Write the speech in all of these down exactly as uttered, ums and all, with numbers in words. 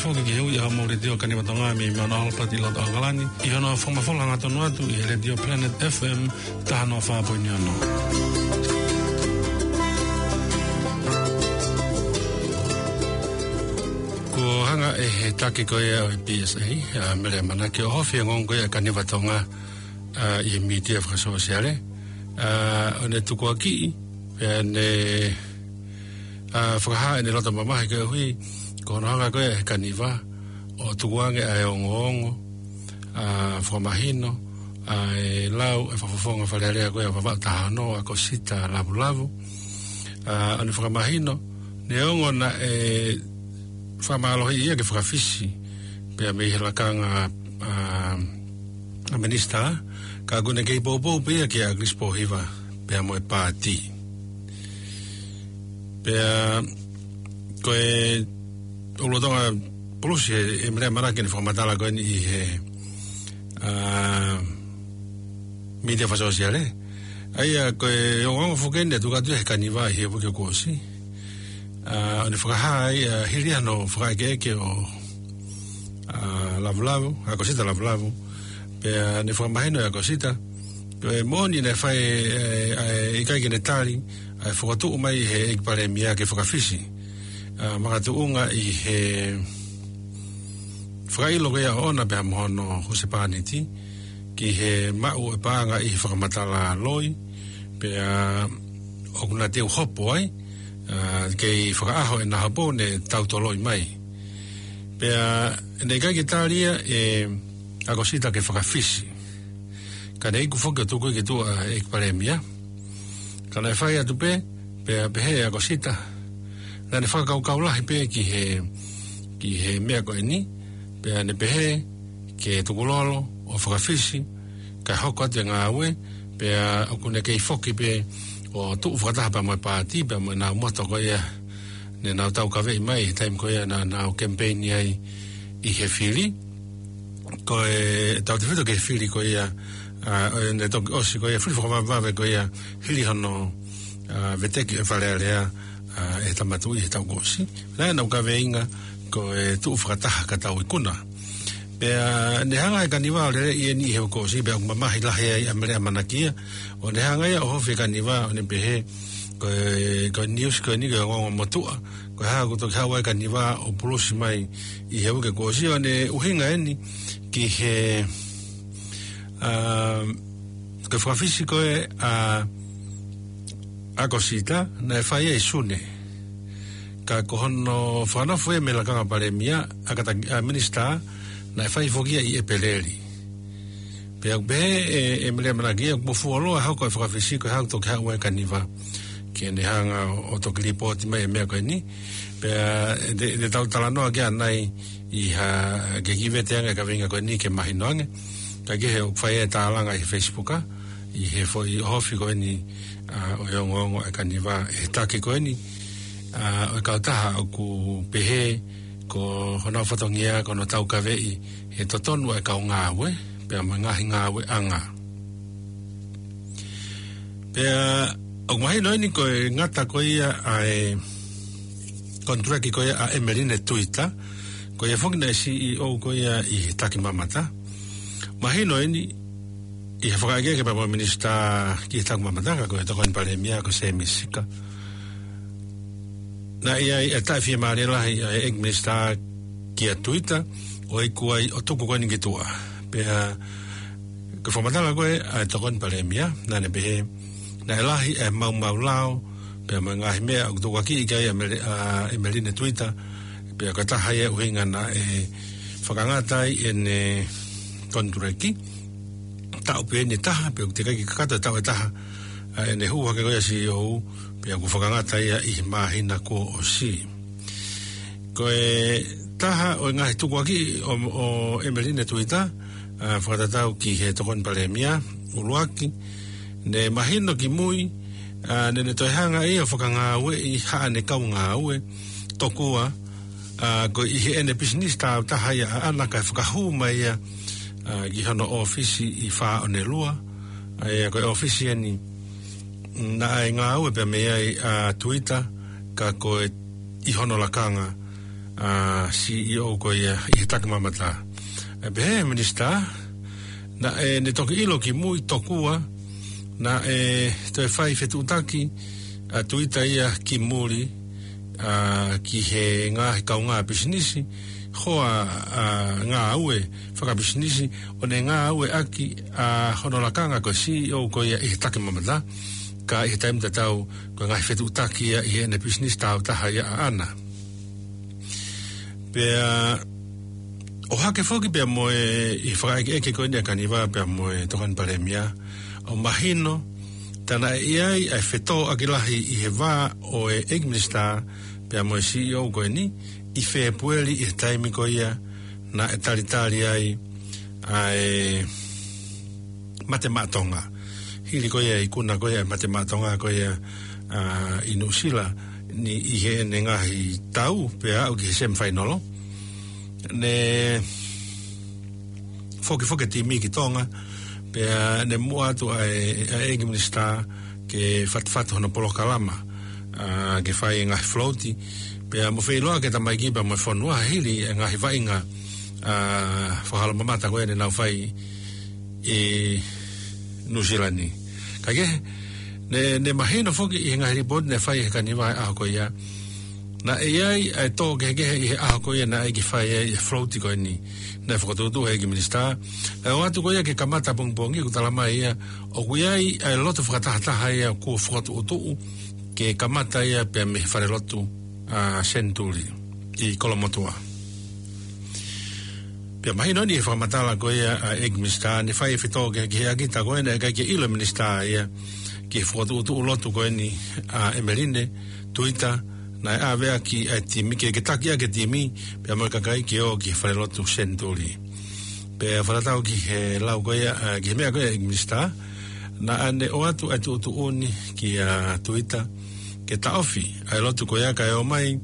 Foki ki he ui ʻa Mōlitio Kaniva Tonga mei Mount Albert ʻi loto ʻAokalani, ʻi hono fakamafola hangatonu atu ʻi he Letiō Planet F M taha noa fā poini ono. Kuo hanga ʻe he taki ko ia ʻo e P S A, ʻa Mele ʻAmanaki, ʻo ohofi e ongoongo ko ia ʻa e Kaniva Tonga, ʻa, ʻi he mītia fakasōsiale, ʻa, ʻo ne tukuakiʻi, pea ne, ʻa, fakahā ʻene loto mamahi koeʻuhi ko hono hanga ko ia ʻe he Kaniva ʻo tukuange ʻa e ongoongo, ʻa, fakamahino ʻa e lau ʻa e fakafofonga Fale Alea ko ia ʻa Vavaʻu taha ono, ʻa ʻAkosita Lavulavu, ʻa, ʻo ne fakamahino neongo naʻe fakamālohiʻi ia ke fakafisi pea mei he lakanga ʻa, ʻa minisitā, ka ʻoku ne kei poupou pē ia kia ʻAkilisi Pōhiva pea mo e paati. Pea ko e ʻulutonga pulusi ʻe, ʻe Mele ʻAmanaki ʻene fakamatala ko eni ʻi he, ʻa, mītia fakasōsiale. ʻA ia ko e ongoongo foki eni naʻe tuku atu ʻe he Kaniva ʻi he uike kuo ʻosi. ʻA, ʻo ne fakahā ai, ʻa, hili hano fakaʻekeʻeke ʻo, ʻa, Lavulavu, ʻa ʻAkosita Lavulavu, pea ne fakamahino ʻe ʻAkosita ko e moʻoni naʻe fai, ʻe, ʻa e ʻikai ke ne tali ʻa e fokotuʻu mai ʻe he ʻEiki Palēmia ke fakafisi, ʻa, makatuʻunga ʻi he fakaʻilo ko ia ʻoʻona pea mo hono husepāniti ki he maʻu ʻo e paʻanga ʻi he fakamatala loi, pea ʻoku na teu hopo ai, ʻa, kei fakaʻaho ʻena hopo ne tau toloi mai. Pea naʻe ʻikai ke tali ia ʻe ʻAkosita ke fakafisi. Ka ne iku foki ʻo tuku ki tuʻa ʻa e ʻEiki Palēmia. Ka naʻe fai atu pē, pea pehē ʻe ʻAkosita naʻa ne fakakaukau lahi pē ki he, ki he meʻa ko eni, pea ne pehē ke tukulolo ʻo fakafisi, kae hoko atu e ngāue, pea ʻoku ne kei foki pē ʻo tuʻu fakataha pea mo e paati, pea mo ʻenau moto ko ia ne nau taukaveʻi mai he taimi ko ia naʻa nau kemipeini ai ʻi he fili. Ko e tautefito ki he fili ko ia, ʻa, ʻo ne toki ʻosi ko ia, fili fakavavevave ko ia, hili hono, ʻa, veteki ʻe Fale Alea, ʻa, ʻe he Tama Tuʻi he taʻu kuo ʻosi. Naʻe ʻenau kaveinga ko e tuʻu fakataha ka tau ikuna. Pea ne hanga ʻe he Kaniva ʻo lele ʻi heni he uike kuo ʻosi, pea ʻoku mamahi lahi ai ʻa Mele ʻAmanaki ia. ʻO ne hanga ia ʻo ohofi e Kaniva, ʻo ne pehē, ko e, ko e niusi ko eni ko e ongoongo motuʻa. Ko e hā ʻoku toki haʻu ai e Kaniva ʻo pulusi mai ʻi he uike kuo ʻosi, ʻo ne ʻuhinga eni ki he, ʻa, ko e fakafisi ko ē ʻa ʻAkosita naʻe fai ia ʻi Sune. Ka ko hono fakanofo ia mei he lakanga Palēmia, ʻa kātaki, ʻa minisitā, naʻe fai foki ia ʻi ʻEpeleli. Pea ʻoku pehē ʻe, ʻe Mele ʻAmanaki ia ʻoku fuoloa e hoko e fakafisi ko e hā ʻoku toki haʻu ai e Kaniva ke ne hanga ʻo, ʻo toki lipooti mai e meʻa ko eni. Pea ʻe, ʻe tau talanoa ki ai ʻanai ʻi ha, ke kiʻi vete ange e kaveinga ko eni ke mahino ange. Kae kehe ʻoku fai e tālanga ʻi he Facebook, ʻa, ʻi he foʻi ohofi ko eni, ʻa, ʻo e ongoongo ʻa e Kaniva ʻe he taki ko eni, ʻa, ʻo e kautaha ʻoku pehē ko honau fatongia ko hono taukaveʻi e totonu ʻa e kau ngāue pea mo e ngaahi ngāueʻanga. Pea ʻoku mahino eni ko e ngata ko ia ʻa e konitilekiti ko ia ʻa ʻEmeline Tuita, ko ia foki naʻe C E O ko ia ʻi he Takimamata. Mahino eni ʻi he fakaʻekeʻeke pea mo e minisitā ki he Takimamata, ka ko e Tokoni Palēmia ko Sēmisi Sika, naʻe ʻi ai e taʻefiemālie lahi ʻa e ʻEiki Minisitā kia Tuita ʻo iku ai ʻo tuku ko eni ki tuʻa. Pea ko e fakamatala ko ē ʻa e Tokoni Palēmia, naʻa ne pehē naʻe lahi e maumau lao pea mo e ngaahi meʻa ʻoku tukuakiʻi ki ai ʻa Mele-, ʻa ʻEmeline Tuita, pea ko e taha ia e ʻuhinga naʻe fakangata ai ʻene konitilekiti. Taʻu pē eni ʻe taha, pea ʻoku teʻeki ai ke kakato e taʻu ʻe taha ʻa ʻene hū hake ko ia ʻo C E O, pea kuo fakangata ia ʻi he māhina kuo ʻosi. Ko e taha ʻo e ngaahi tukuakiʻi ʻo, ʻo ʻEmeline Tuita, ʻa, fakatatau ki he Tokoni Palēmia, ʻuluaki, ne mahino kimui, ʻa, naʻa ne toe hanga ia ʻo fakangāueʻi haʻane kau ngāue, tokua, ʻa, ko e ʻi heʻene pisinisi tāutaha ia ʻaʻana kae fakahū mai ia, ʻa, ki hono ʻōfisi ʻi Fāʻonelua, ʻa ia ko e ʻōfisi eni naʻe ngāue pea mei ai ʻa Tuita, ka ko e ʻi hono lakanga ʻa e CEO ko ia ʻi he Takimamata. ʻE pehē ʻe he Minisitā, naʻe, ne toki ʻilo kimui tokua naʻe toe fai fetuʻutaki ʻa Tuita ia ki muli, ʻa, ki he ngaahi kaungā pisinisi, hoa, ʻa, ngāue fakapisinisi, ʻo ne ngāueʻaki ʻa hono lakanga ko e CEO ko ia ʻi he Takimamata, ka ʻi he taimi tatau ko e ngaahi fetuʻutaki ia ʻi heʻene pisinisi tāutaha ia ʻaʻana. Pea ʻohake foki pea mo e ʻi he fakaʻekeʻeke ko eni ʻa Kaniva pea mo e Tokoni Palēmia, ʻo mahino tā naʻe ʻi ai ʻa e fetōʻaki lahi ʻi he vā ʻo e ʻEiki Minisitā pea mo e CEO ko eni ʻi Fēpueli ʻi he taimi ko ia naʻe talitali ai ʻa e Mate Maʻa Tonga. Hili ko ia ikuna ko ia ʻa e Mate Maʻa Tonga ko ia, ʻa, ʻi Nuʻusila ni ʻi heʻene ngaahi tau pea aʻu ki he semifinal. Ne fokifoki e timi ki Tonga, pea ne muʻa atu ʻa e, ʻa e ʻEiki Minisitā ke fatafata hono polokalama, ʻa, ke fai e ngaahi float, pea mo feʻiloaki e tamaiki pea mo e fonua hili e ngaahi vaʻinga, ʻa, fakahalomamata ko ē ne nau fai ʻi Nuʻusila ni. Ka ke, ne, ne mahino foki ʻi he ngaahi lipooti ne fai ʻe he Kaniva he ʻaho ko ia, naʻe ʻi ai ʻa e tō kehekehe ʻi he ʻaho ko ia naʻe ʻai ke fai ai e float ko eni naʻe fokotuʻutuʻu ʻe he ʻEiki Minisitā. Naʻe ʻoatu ko ia ke kamata pongipongi, ʻoku tala mai ia ʻoku ʻi ai ʻa e lotu fakatahataha ia kuo fokotuʻutuʻu ke kamata ia pea mei he falelotu, ʻa, Senituli ʻi Kolomotuʻa. Pea mahino eni he fakamatala ko ia ʻa e ʻEiki Minisitā, ne fai e fetōkehekeheʻaki, tā ko ē naʻe ʻikai ke ʻilo e Minisitā ia ki he fokotuʻutuʻu lotu ko eni ʻa ʻEmeline Tuita, naʻe ʻave ʻaki ʻa e timi ke, ke taki ʻaki e timi pea mo e kakai ke ō ki he falelotu Senituli. Pea fakatatau ki he lau ko ia, ʻa, ki he meʻa ko ia ʻa e ʻEiki Minisitā, naʻa ne ʻoatu ʻa e tuʻutuʻuni kia Tuita ke taʻofi ʻa e lotu ko ia kae ō mai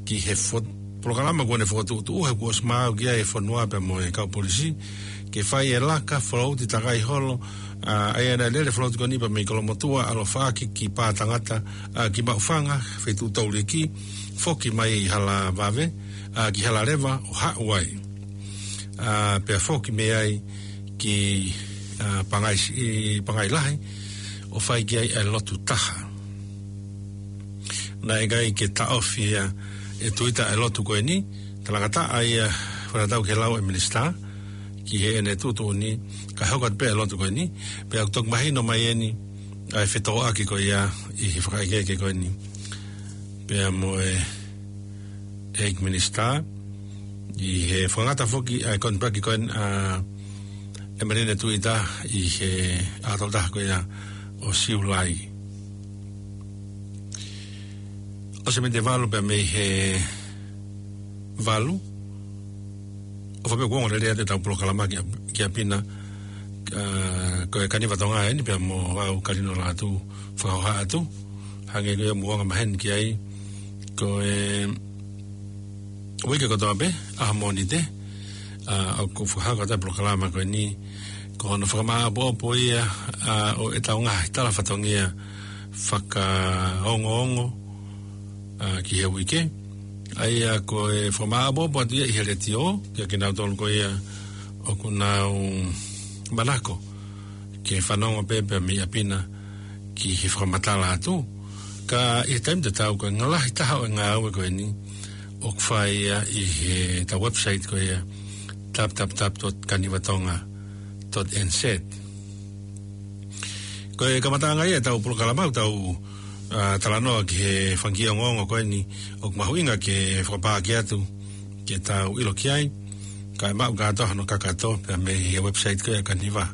ki he fo-, polokalama kuo ne fokotuʻutuʻu, he kuo ʻosi maau ki ai e fonua pea mo e kau polisi, ke fai e laka float takai holo, ʻa, ʻa ia naʻe lele float ko eni pea mei Kolomotuʻa, ʻaloʻofa ʻaki ki Pātangata, ʻa, ki Maʻufanga, Feituʻu Touliki, foki mai ʻi Halavave, ʻa, ki Halaleva, ʻo haʻu ai, ʻa, pea foki mei ai ki, ʻa, Pangai, ʻi Pangai Lahi, ʻo fai ki ai e lotu taha. Naʻe ʻikai ke taʻofi ia ʻe Tuita e lotu ko eni, talangataʻa ia, fakatatau ki he lau ʻa e Minisitā ki heʻene tuʻutuʻuni, kae hoko atu pē e lotu ko eni, pea ʻoku toki mahino mai eni ʻa e fetōʻaki ko ia ʻi he fakaʻekeʻeke ko eni pea mo e ʻEiki Minisitā, ʻi he fakangata foki ʻa e konipaki ko eni ʻa ʻEmeline Tuita ʻi he ʻaho tolu taha ko ia ʻo Siulai. ʻOsi e miniti ʻe valu pea mei he valu, ʻofa pē kuo ongo lelei atu ʻetau polokalama ki, ki ʻapiʻapi, ʻa, ko e Kaniva Tonga eni pea mo au, Kalino Lātū, fakahoha atu, hangē ko ia mou anga maheni ki ai, ko e uike kotoa pē, ʻaho Mōnite, ʻa, ʻoku fakahoko atu e polokalama ko eni, ko hono fakamāʻopoʻopo ia, ʻa, ʻo ʻetau ngaahi tala fatongia fakaongoongo, ʻa, ki he uike. ʻA ia ko e fakamāʻopoʻopo atu ia ʻi he letiō, kia kinautolu ko ia ʻoku nau manako ke fanongo pē pea mei ʻapiʻapi ki he fakamatala atu. Ka ʻi he taimi tatau ko e ngaahi lahi taha ʻo e ngāue ko eni ʻoku fai ia ʻi heʻetau website ko ia, w w w dot kanivatonga dot n z. Ko e kamataʻanga ia ʻetau polokalama, ʻetau, ʻa, talanoa ki he fanga kiʻi ongoongo ko eni ʻoku mahuʻinga ke fakapaaki atu ke tau ʻilo ki ai, kae maʻu kātoa hono kakato pea mei he website ko ia ʻa Kaniva.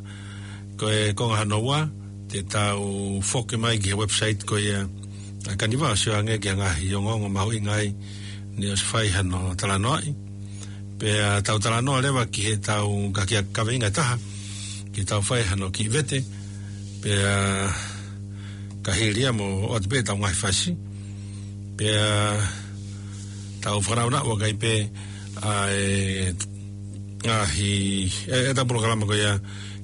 Ko e konga hono ua, te tau foki mai ki he website ko ia ʻa Kaniva ʻo sio ange ki he ngaahi ongoongo mahuʻinga ai ne ʻosi fai hano talanoaʻi. Pea tau talanoa leva ki heʻetau ngaahi kaveinga ʻe taha, ke tau fai hano kiʻi vete, pea ka hili ia mo ʻoatu pē ʻetau ngaahi fasi. Pea tau fakanaunau ʻaki pē ʻa e ngaahi, ʻe, ʻetau polokalama ko ia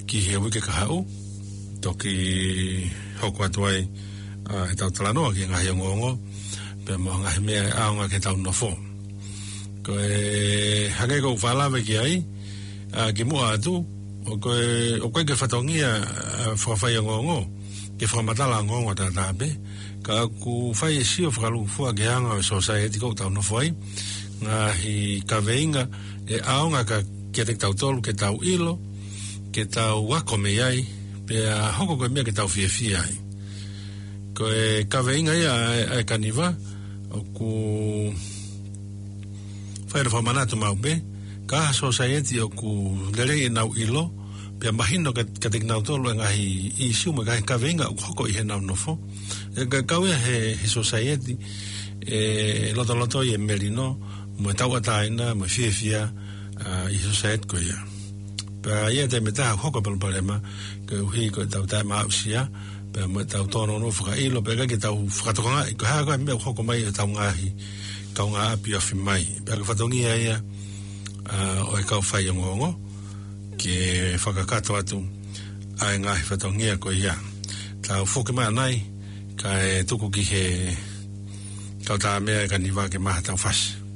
ki he uike kahaʻu, toki hoko atu ai, ʻa, ʻetau talanoa ki he ngaahi ongoongo, pea mo e ngaahi meʻa ʻe ʻaonga ki heʻetau nofo. Ko e hangē ko ʻeku fakalave ki ai, ʻa, kimuʻa atu, ʻoku ʻikai, ʻoku ʻikai ke fatongia, ʻa, fakafaiongoongo, ke fakamatala ongoongo tātāpē, ka ʻoku fai e sio fakalūkufua ki he anga ʻo e society ʻoku tau nofo ai, ngaahi kaveinga ʻe ʻaonga ka, kiate kitautolu ke tau ʻilo, ke tau ako mei ai, pea hoko ko e meʻa ke tau fiefia ai. Ko e kaveinga ia ʻa e, ʻa e kaniva, ʻoku fai ʻa e fakamanatu maʻu pē, ka ʻi ha society ʻoku lelei ʻenau ʻilo, pea mahino ka, kiate kinautolu e ngaahi ʻīsiu mo e ngaahi kaveinga ʻoku hoko ʻi heʻenau nofo. ʻE ka kau ia he, he society, ʻe lotolotoi e melino, mo e tauʻatāina, mo e fiefia, ʻa, ʻi he society ko ia. Pea ʻi he taimi ʻe taha ʻoku hoko e palopalema, koeʻuhi ko ʻetau taʻemaʻusia, pea mo ʻetau tōnounou fakaʻilo, pea ʻikai ke tau fakatokangaʻi, ko e hā ko ā e meʻa ʻoku hoko mai ʻi hotau ngaahi kaungāʻapi ofi mai. Pea ko e fatongia ia, ʻa, ʻo e kau faiongoongo, ke fakakakato atu ʻa e ngaahi fatongia ko ia. Tau foki mai ʻanai, kae tuku ki he kau tāmea e kaniva ke maʻu haʻatau fasi.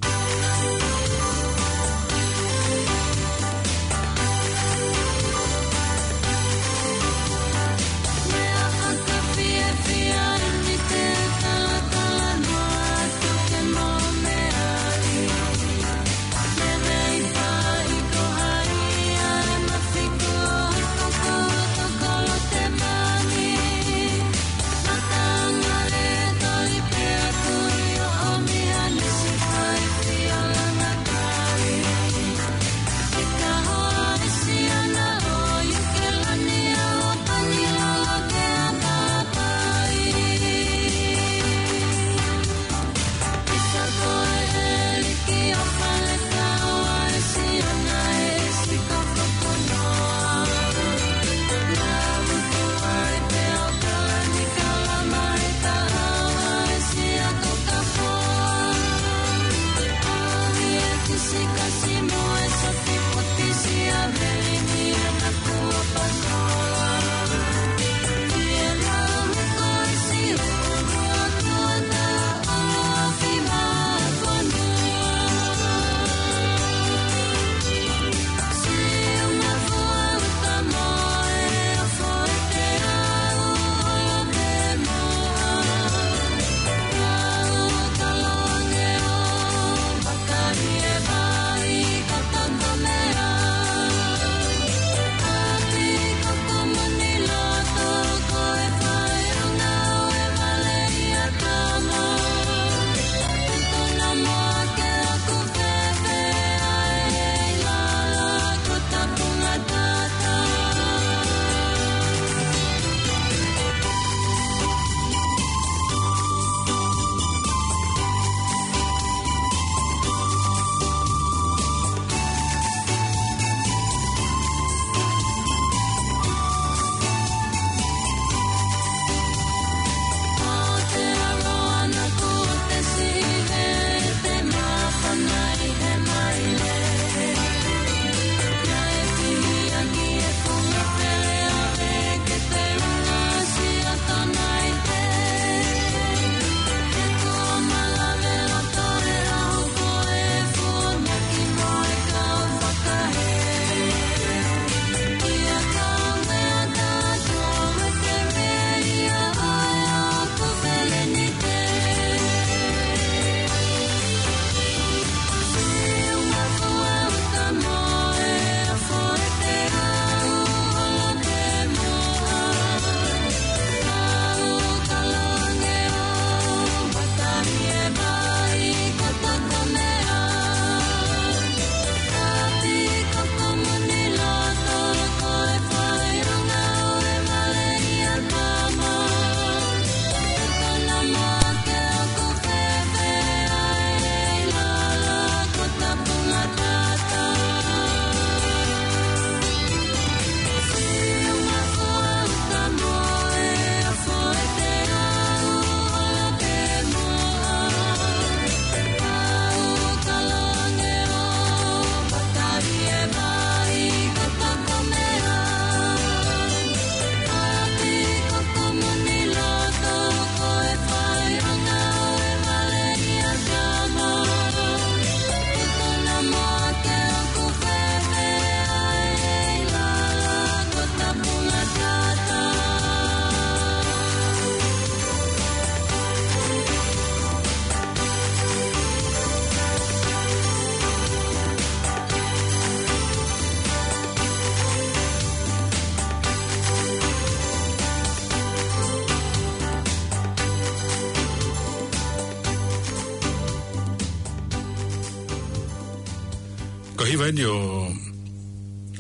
Ko e hiva eni ʻo,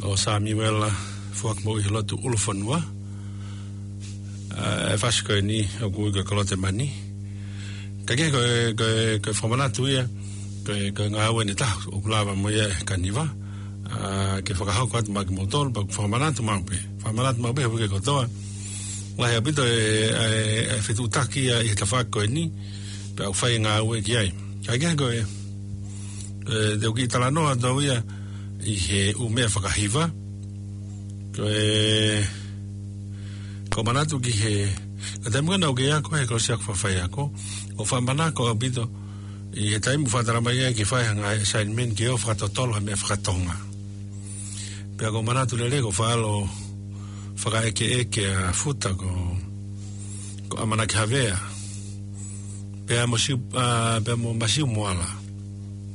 ʻo Samiuela Foaki Moʻuihelotu ʻUlufonua. ʻA, e fasi ko eni ʻoku ui ko e Kolotemani. Ka ko e, ko e, ko e fakamanatu ia, ko e, ko e ngāue eni ʻe taha ʻoku lava mo ia ʻe Kaniva. ʻA, ke fakahoko atu maʻa kimoutolu, pea ʻoku fakamanatu maʻu pē. Fakamanatu maʻu pē he uike kotoa. Lahi ʻaupito e, e, e fetuʻutaki ia ʻi he tafaʻaki ko eni, pea ʻoku fai e ngāue ki ai. Ka ko e, e, te u kiʻi talanoa atu au ia ʻi he ʻū meʻa fakahiva. Ko e, ʻoku ou manatu ki he, ko e taimi ko ē naʻá ku ako he kolosi ako fakafaiako, ʻoku ou fakamanatu ʻaupito, ʻi he taimi ʻoku fakatalamai ai ke fai ha ngaahi assignment ke ō ʻo fakatotolo ha meʻa fakatonga. Pea ʻoku ou manatu lelei ko e faʻa ō ʻo fakaʻekeʻeke ʻa Futa ko, ko ʻAmanaki Havea. Pea mo Siu, ʻa, pea mo Masiu Moala.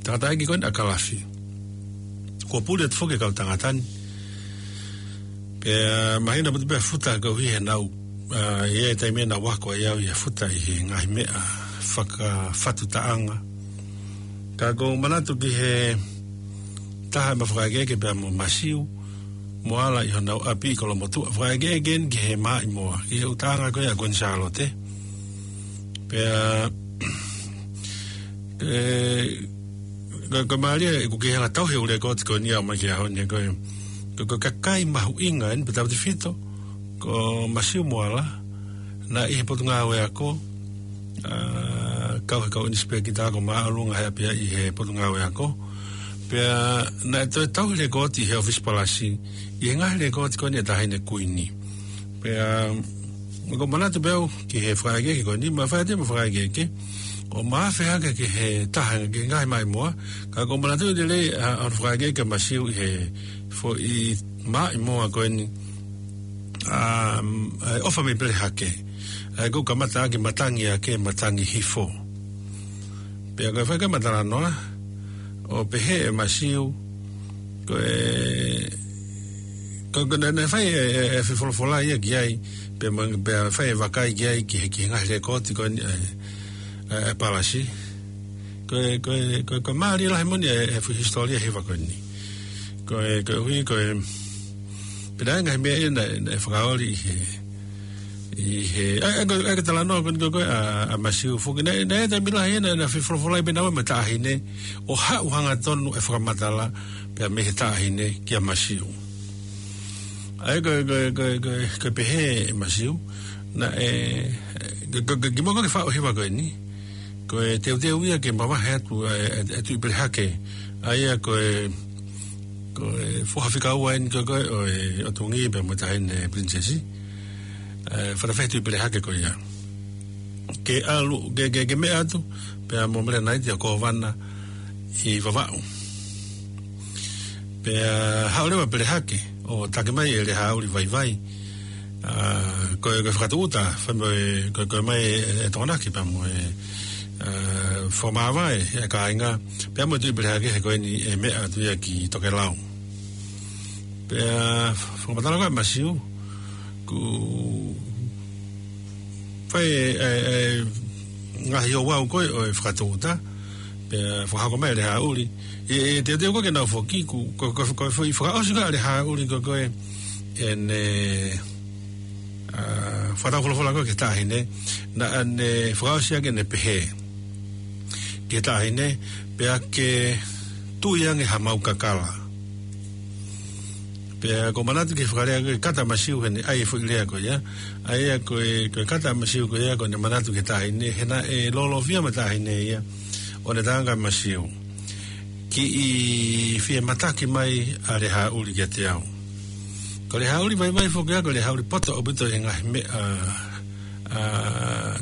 Tangataʻeiki ko eni ʻa Kalafi. Kuo puli atu foki e kau tangata ni. Pea mahino ʻaupito pē ʻa Futa koeʻuhi he naʻá ku, ʻa, ʻi he taimi naʻá ku ako ai au ʻia Futa ʻi he ngaahi meʻa fakafatu taʻanga. Ka ʻoku ou manatu ki he taha ʻema fakaʻekeʻeke pea mo Masiu Moala ʻi honau ʻapi ʻi Kolomotuʻa. Fakaʻekeʻeke eni ki he maʻimoa, ki he ʻū taʻanga ko ia ʻa Kuini Sālote. Pea, e, ko, ko e mālie, ʻoku ke hanga tauhi e ʻū lekooti ko eni ʻo aʻu mai ki he ʻaho ni, ko e, ko, ko e kakai mahuʻinga eni pea tautautefito ko Masiu Moala, naʻe ʻi he potungāue ako, ʻa, kau he kau ʻinisipēkita ako māʻolunga he ʻapiako ʻi he potungāue ako. Pea naʻe toe tauhi lekooti he ʻōfisi palasi ʻi he ngaahi lekooti ko eni ʻa e Taʻahine Kuini. Pea, ʻoku ou manatu pē au ki he fakaʻekeʻeke ko eni, ma fai atu ʻema fakaʻekeʻeke, ʻo ma afe hake ki he taha, ki he ngaahi maʻimoa, ka ʻoku ou manatu lelei ʻa, ʻa e fakaʻekeʻeke ʻa Masiu ʻi he foʻi maʻimoa ko eni, ʻa, ʻa e ʻOfa mei Pelehake. ʻA ia ʻoku kamata ʻaki Matangi Ake, Matangi Hifo. Pea ko e fai ko ē ʻema talanoa, ʻo pehē ʻe Masiu, ko e, ko, ko naʻe, naʻe fai e, e, e fefolofola ia ki ai, pea mo, pea fai e vakai ki ai ki he, ki he ngaahi lekooti ko eni, e, e, e palasi. Ko e, ko e, ko e, ko e mālie lahi moʻoni e, e fuʻu hisitōlia hiva ko eni. Ko e, koeʻuhi, ko e, pea naʻe ngaahi meʻa ia naʻe, naʻe fakaoli ʻi he, ʻi he, ʻa, ʻa, ko e, ʻa, ko e talanoa ko eni ko, ko ē ʻa, ʻa Masiu foki. Naʻe, naʻe taimi lahi naʻe, naʻe fefolofolai pē naua mo e taʻahine, ʻo haʻu hangatonu e fakamatala, pea mei he taʻahine kia Masiu. ʻA ia ko e, ko e, ko e, ko e, ko e pehē ʻe Masiu, naʻe, ko, ko, ko e kimuʻa ko ē ke faʻu e hiva ko eni, ko e teuteu ia ke mavahe atu ʻa e, e, e Tuʻi Pelehake. ʻA ia ko e, ko e foha fika ua eni ko, ko ē ʻo e ʻOtungi pea mo e Taʻahine Pilinisesi. E, fakafeʻao Tuʻi Pelehake ko ia. Ke ʻalu, ke, ke, ke meʻa atu, pea mo Mele Naiti ʻa e kōvana ʻi Vavaʻu. Pea haʻu leva Pelehake, ʻo taki mai ʻe Lehaʻauli Vaivai. ʻA, ko e, ko e fakatūʻuta, fai mo e, ko e, ko e mai e, e Tokonaki pea mo e, ʻa, fakamāvae e kāinga, pea mo e Tuʻi Pelehake he ko eni e meʻa atu ia ki Tokelau. Pea fakamatala ko ē ʻa Masiu, ʻoku fai e, e, e ngaahi ouau ko ē ʻo e fakatūʻuta, pea fakahoko mai ʻe Lehaʻauli. ʻE, ʻe teuteu ko ē ke nau foki, ʻoku, ko, ko, ko e foʻi fakaʻosi ko ē ʻa Lehaʻauli ko, ko ē, ʻene, ʻa, fakatau folofola ko ē ki he taʻahine, naʻá ne fakaʻosi ʻaki ʻene pehē ki he taʻahine, pea ke tui ange hamau kakala. Pea ʻoku ou manatu ki he fakalea ko ē kata ʻa Masiu heʻene ʻai e foʻi lea ko ia. ʻA ia ko e, ko e kata ʻa Masiu ko ia ko ʻene manatu ki he taʻahine, he naʻe lōlōfia mo e taʻahine ia, ʻo ne talaange kia Masiu, kiʻi fie mataki mai ʻa Lehaʻauli kiate au. Ko Lehaʻauli Vaivai foki ia, ko Lehaʻauli poto ʻaupito he ngaahi meʻa, ʻa,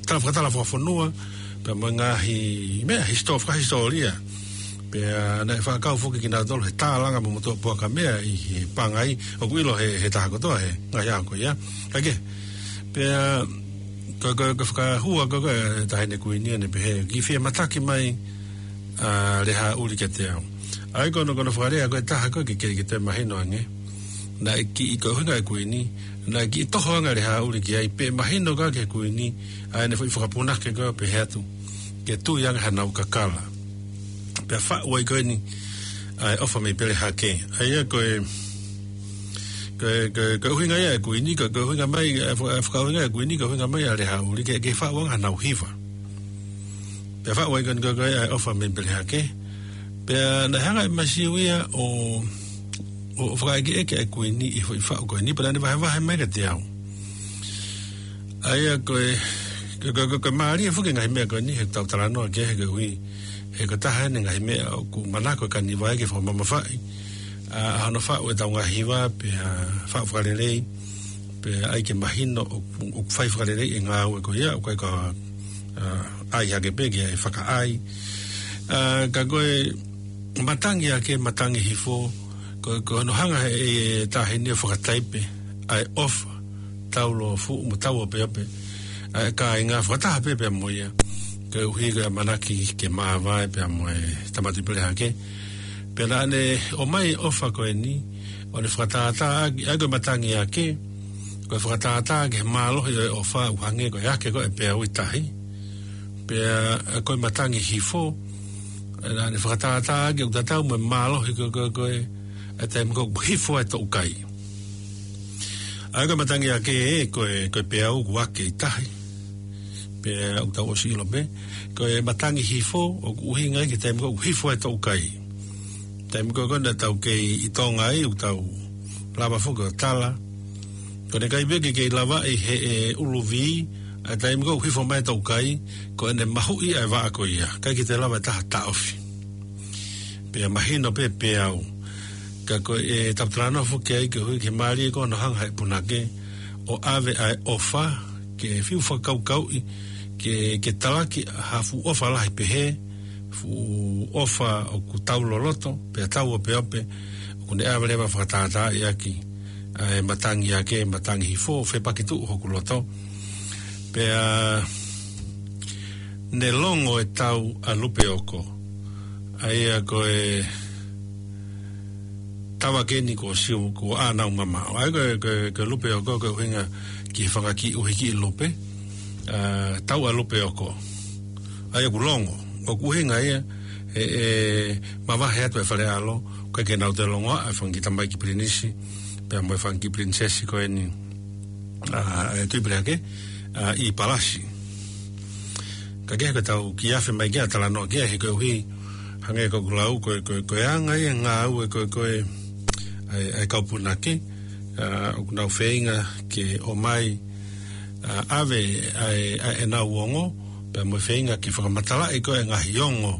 tala fakatala fakafonua, pea mo e ngaahi meʻa hisitō-, fakahisitōlia. Pea naʻe faʻa kau foki kinautolu he tālanga mo motuʻa puaka meʻa ʻi he pangai, ʻoku ʻilo he, he taha kotoa he ngaahi ʻaho ko ia. Ka ke, pea, ko, ko, ko e fakahua ko ē ʻa e Taʻahine Kuini ia ʻene pehē, kiʻi fie mataki mai ʻa Lehaʻauli kiate au. ʻA ia ko hono, ko hono fakalea ko ē ʻe taha ko ē ke, ke, ke toe mahino ange. Naʻe kiʻi, ko e ʻuhinga e Kuini, naʻe kiʻi toho ange ʻa Lehaʻauli ki ai, pea mahino ko ē ki he Kuini ʻa ʻene foʻi fakapunake ko ē ʻo pehē atu, ke tui ange hanau kakala. Pea faʻu ai ko eni ʻa e ʻOfa mei Pelehake. ʻA ia ko e, ko e, ko e, ko e ʻuhinga ia ʻa e kuini, ko e, ko e ʻuhinga mai, ʻa e faka-, ʻa e fakaʻuhinga ʻa e kuini, ko e ʻuhinga mai ʻa Lehāʻuli ke, ke faʻu ange haʻanau hiva. Pea faʻu ai ko eni ko e, ko e ʻa e ʻOfa mei Pelehake. Pea naʻe hanga ʻe Masiu ia ʻo, ʻo, ʻo fakaʻekeʻeke ʻa e kuini ʻi he foʻi faʻu ko eni, pea naʻa ne vahevahe mai kiate au. ʻA ia ko e, ko e, ko e, ko e, ko e mālie foki e ngaahi meʻa ko eni, he tau talanoa ki ai he koeʻuhi, he ko e taha eni e ngaahi meʻa ʻoku manako e kaniva ke fakamamafaʻi ʻa, ʻa hono faʻu ʻetau ngaahi hiva, pea faʻu fakalelei, pea ʻai ke mahino ʻoku, ʻoku fai fakalelei e ngāue ko ia, ʻoku ʻikai ko ha, ʻa, ʻai hake pē ke ʻai fakaʻai. ʻA, ka ko e matangi ake, matangi hifo, ko, ko hono hanga ʻe he taha eni ʻo fakataipe ʻa e ʻofa, taulōfuʻu mo tauopeope ʻa e kāinga fakataha pē pea mo ia, koeʻuhi ko e ʻamanaki ke māvae pea mo e Tamasiʻi Pelehake. Pea naʻa ne ʻomai e ʻofa ko eni, ʻo ne fakatātā ʻaki, ʻa ia ko e matangi ake, ko e fakatātā ki he mālohi ʻo e ʻofa ʻoku hangē ko e ake ko ē peau ʻi tahi. Pea ko e matangi hifo, naʻa ne fakatātā ʻaki ʻoku tatau mo e mālohi ko e, ko e, ko e, ʻa e taimi ko ē ʻoku hifo ai e toʻukai. ʻA ia ko e matangi ake ē, ko e, ko e peau ʻoku ake ʻi tahi. Pea ʻoku tau ʻosi ʻilo pē, ko e matangi hifo, ʻoku ʻuhinga ia ki he taimi ko ē ʻoku hifo ai e toʻukai. Taimi ko ē ko ē naʻa tau kei ʻi Tonga ai, ʻoku tau lava foki ʻo tala. Ko ʻene ʻikai pē ke kei lavaʻi ʻe he ʻuluvi, ʻa e taimi ko ē ʻoku hifo mai e toʻukai, ko ʻene mahuʻi ʻa e vaʻa ko ia. ʻIkai ke toe lava e taha ʻo taʻofi. Pea mahino pē peau. Ka ko e tau talanoa foki ai koeʻuhi ke mālie ko hono hanga ʻe he punake ʻo ʻave ʻa e ʻofa, ke fiu fakakaukauʻi, ke, ke talaki ha fuʻu ʻofa lahi pehē, fuʻu ʻofa ʻoku tauloloto, pea tauopeope, ʻoku ne ʻave leva ʻo fakatātā ʻaki ʻa e matangi ake, matangi hifo, fepaki tuʻu hoku loto. Pea ne longo e tau ʻa Lupeoko. ʻA ia ko e tau ake eni ko Siu, ko ʻAnaumamaʻo. ʻA ia ko e, ko e, ko e Lupeoko, ko e ʻuhinga ki he fanga kiʻi ʻuhikiʻi lupe, ʻa, tau ʻa Lupeoko. ʻA ia ʻoku longo, ʻoku ʻuhinga ia, ʻe, ʻe mavahe atu e fale ʻalo, ʻikai ke nau toe longoaʻa e fanga kiʻi tamaiki pilinisi, pea mo e fanga kiʻi pilinisesi ko eni, ʻa, ʻa e Tuʻi Pelehake, ʻa, ʻi Palasi. Ka ko e hā ko ʻetau kiʻi afe mai ki ai ʻo talanoa ki ai he koeʻuhi, hangē ko ʻeku lau, ko e, ko e, ko e anga ia e ngāue ko e, ko e, ʻa e, ʻa e kau punake, ʻa, ʻoku nau feinga ke ʻomai, ʻa, ʻave ʻa e, ʻa ʻenau ongo, pea mo e feinga ke fakamatalaʻi ko e ngaahi ongo,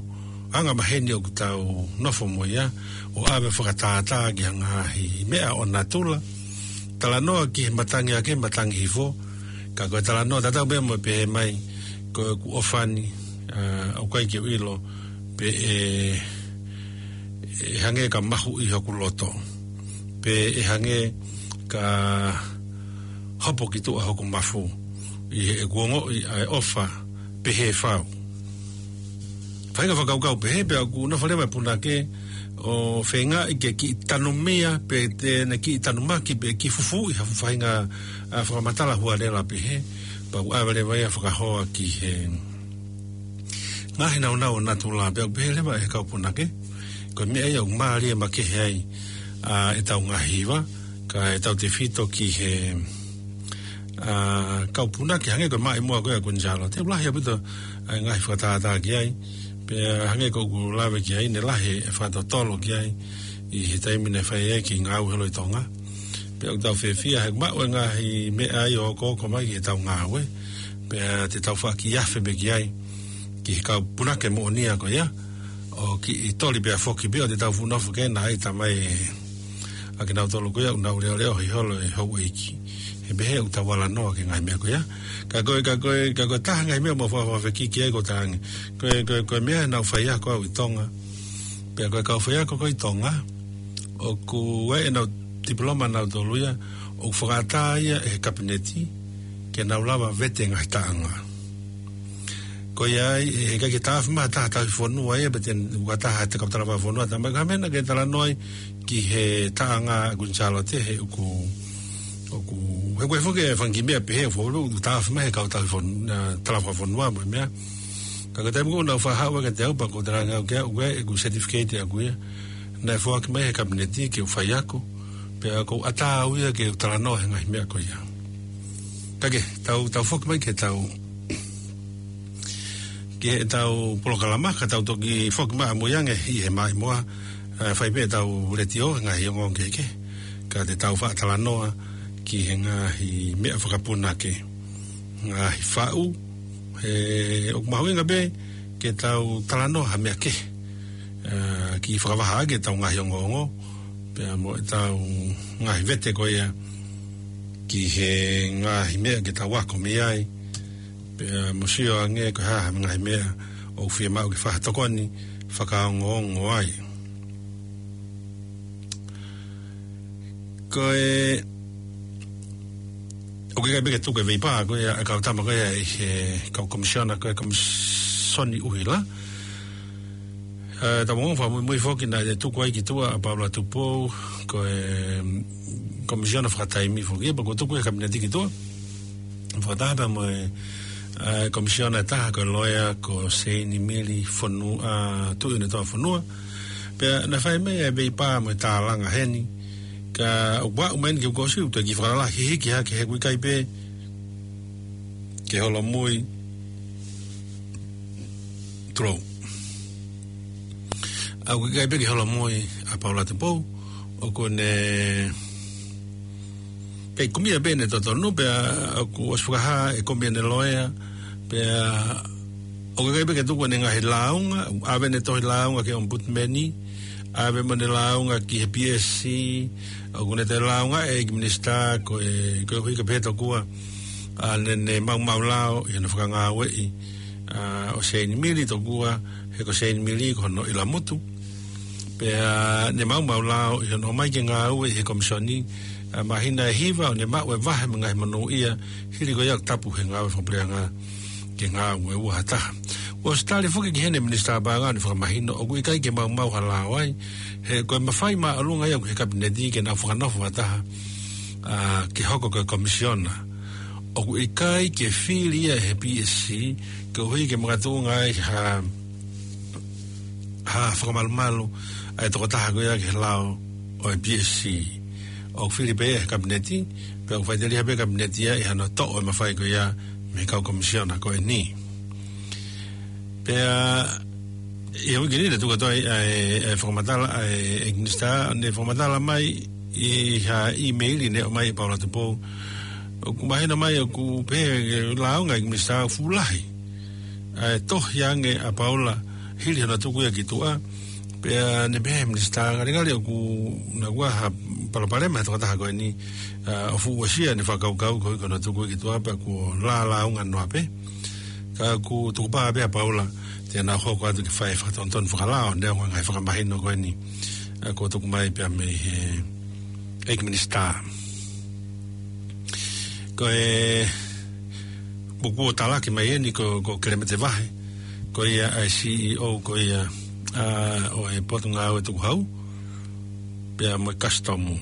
anga maheni ʻoku tau nofo mo ia, ʻo ʻave ʻo fakatātā ki ha ngaahi meʻa ʻo natula. Talanoa ki he matangi ake, matangi hifo, ka ko e talanoa tatau pē mo e pehē mai, ko ʻeku ʻofa ni, ʻa, ʻoku ʻikai ke u ʻilo pe ʻe, ʻe hangē ka mahuʻi hoku loto, pe ʻe hangē ka hopo ki tuʻa hoku mafu, ʻi heʻeku ongoʻi ʻa e ʻofa pehē fau. Faʻahinga fakakaukau pehē, pea ʻoku nofo leva e punake ʻo feingaʻi ke kiʻi tanumia, pe te ne kiʻi tanumaki, pe kiʻi fufuuʻi ha faʻahinga, ʻa, fakamatala hualela pehē, pea ʻoku ʻave leva ia ʻo fakahoa ki he ngaahi naunau ʻo natula, pea ʻoku pehē leva ʻe he kau punake, ko e meʻa ia ʻoku mālie makehe ai, ʻa, ʻetau ngaahi hiva, kae tautefito ki he, ʻa, kau punake hangē ko e maʻimoa ko ē ʻa Kuini Sālote, ʻoku lahi ʻaupito ʻa e ngaahi fakatātā ki ai, pea hangē ko ʻeku lave ki ai, ne lahi e fakatotolo ki ai, ʻi he taimi naʻe fai ai e kiʻi ngāue holo ʻi Tonga. Pea ʻoku tau fiefia he maʻu e ngaahi meʻa ia ʻo okooko mai ki heʻetau ngāue, pea te tau faʻa kiʻi afe pē ki ai, ki he kau punake moʻonia ko ia, ʻo kiʻi toli pea foki pē ʻo te tau fuʻu nofo ke na ai tamai ʻa kinautolu ko ia ʻoku nau leʻoleʻohi holo e houʻeiki. He pehē ʻoku tau ala noa ki he ngaahi meʻa ko ia. Ka ko e, ka ko e, ka ko e taha e ngaahi meʻa ʻoku mau faʻa fekiki ai ko e taha ange. Ko e, ko e, ko e meʻa naʻa ku faiako au ʻi Tonga. Pea ko e kau faiako ko ē ʻi Tonga, ʻoku ʻi ai ʻenau tipiloma nautolu ia, ʻoku fakaʻatā ia ʻe he kapineti, ke nau lava vete e ngaahi taʻanga. Ko ia ai, ʻe ʻikai ke taʻofi mai ha taha tauhi fonua ia, pe te u ka taha te kau talafā fonua, tā mai ka mena ke talanoa ai ki he taʻanga ʻa Kuini Sālote, he ʻoku, ʻoku, he ko e foki e fanga kiʻi meʻa pehē, ʻoku, ʻoku taʻofi mai he kau tauhi fon-, ʻa, talafā fonua mo e meʻa. Ka ko e taimi ko ē naʻa ku faʻa haʻu ai kiate au, pea ko e talanga au ke au, ʻoku ʻi ai ʻeku certificate ʻaʻaku ia. naʻe foaki mai he kapineti ke u fai ako, pea ʻoku ou ʻatā au ia ke u talanoa he ngaahi meʻa ko ia. Ka ke, tau, tau foki mai ke tau, ki heʻetau polokalama, ka tau toki foki mai ʻamui ange ʻi he maimoa, ʻe, fai pē ʻetau letiō he ngaahi ongoongo kehekehe, ka te tau faʻa talanoa ki he ngaahi meʻa fakapunake, ngaahi faʻu, he ʻoku mahuʻinga pē ke tau talanoa ha meʻa kehe, ʻa, ke fakavahaʻaki ʻetau ngaahi ongoongo, pea mo ʻetau ngaahi vete ko ia ki he ngaahi meʻa ke tau ako mei ai, pea mo sio ange ko e hā ha ngaahi meʻa ʻoku fiemaʻu ke fakatokoni fakaongoongo ai. Ko e, ʻoku ʻikai pē ke tuku e veipā ko ia ʻa e kau tama ko ia ʻi he kau komisiona ko e Komisoni ʻUhila. ʻE, tau ongoongo fakamuimui foki naʻe tuku ai ki tuʻa ʻa Paula Tupou, ko e, mm, komisiona fakataimi foki, pea kuo tuku ʻe he kapineti ki tuʻa. Fakataha pea mo e, ʻe, komisiona ʻe taha ko e loea, ko Seini Mili Fonua, ʻa, Tuʻiʻonetoa Fonua. Pea naʻe fai mai e veipā mo e tālanga heni, ka ʻoku aʻu mai eni ki he kuo ʻosi, ʻoku toe kiʻi fakalalahi hiki hake he ʻoku ʻikai pē ke holomui. Tulou. ʻA, ʻoku ʻikai pē ke holomui ʻa Paula Tupou, ʻoku ne kei kumi ia pē ʻene totonu, pea ʻoku ʻosi fakahā e kumi ʻene loea, pea ʻoku ʻikai pē ke tuku ʻene ngaahi lāunga, ʻave ʻene tohi lāunga ki he Ombudsman, ʻave mo ʻene lāunga ki he P S C, ʻoku ne toe lāunga e ʻEiki Minisitā ko e, koeʻuhi ko e pehē tokua, ʻa, ne, ne maumau lao ʻi hono fakangāueʻi, ʻa, ʻo Seini Mili tokua, he ko Seini Mili ko hono ʻilamutu. Pea ne maumau lao ʻi hono ʻomai ke ngāue ʻi he komisoni, ʻa, māhina ʻe hiva ʻo ne maʻu e vahe mo e ngaahi monūʻia, hili ko ia ʻoku tapu he ngāue fakapuleʻanga ke ngāue ua ha taha. ʻOsi tali foki ki heni ʻe he Minisitā Paʻanga ʻo ne fakamahino ʻoku ʻikai ke maumau ha lao ai, he ko e mafai māʻolunga ia ʻoku ʻi he kapineti ke nau fakanofo fakataha, ʻa, ke hoko ko e komisiona. ʻOku ʻikai ke fili ia ʻe he P S C, koeʻuhi ke makatuʻunga ai ha, ha fakamalumalu ʻa e tokotaha ko ia ki he lao ʻo e P S C. ʻOku fili pē ia ʻe he kapineti, pea ʻoku faʻiteliha pē kapineti ia ʻi hano toʻo e mafai ko ia mei he kau komisiona ko eni. Pea ʻi he uike ni naʻe tuku atu ai ʻa e, ʻa e fakamatala ʻa e, ʻEiki Minisitā, ne fakamatala mai ʻi ha ʻīmeili ne ʻomai ʻe Paula Tupou. ʻOku mahino mai ʻoku pehē ke lāunga ʻEiki Minisitā ʻoku fuʻu lahi ʻa e tohi ange ʻa Paula hili hano tuku ia ki tuʻa. Pea ne pehē ʻe he Minisitā, ngalingali ʻoku na ua ha palopalema he tokotaha ko eni, ʻa, ʻo fuʻu uesia ʻene fakakaukau koeʻuhi ko hono tuku ia ki tuʻa pea kuo lālāunga noa pē. Ka ʻoku tukupā pē ʻa Paula te na hoko atu ke fai fakatonutonu fakalao, neongo e ngaahi fakamahino ko eni, ʻa, kuo tuku mai pea mei he ʻEiki Minisitā. Ko e, ʻoku talaki mai eni ko, ko Kelemete Vahe, ko ia ʻa e C E O ko ia, ʻa, ʻo e Potungāue Tukuhau, pea mo e Kasitomu.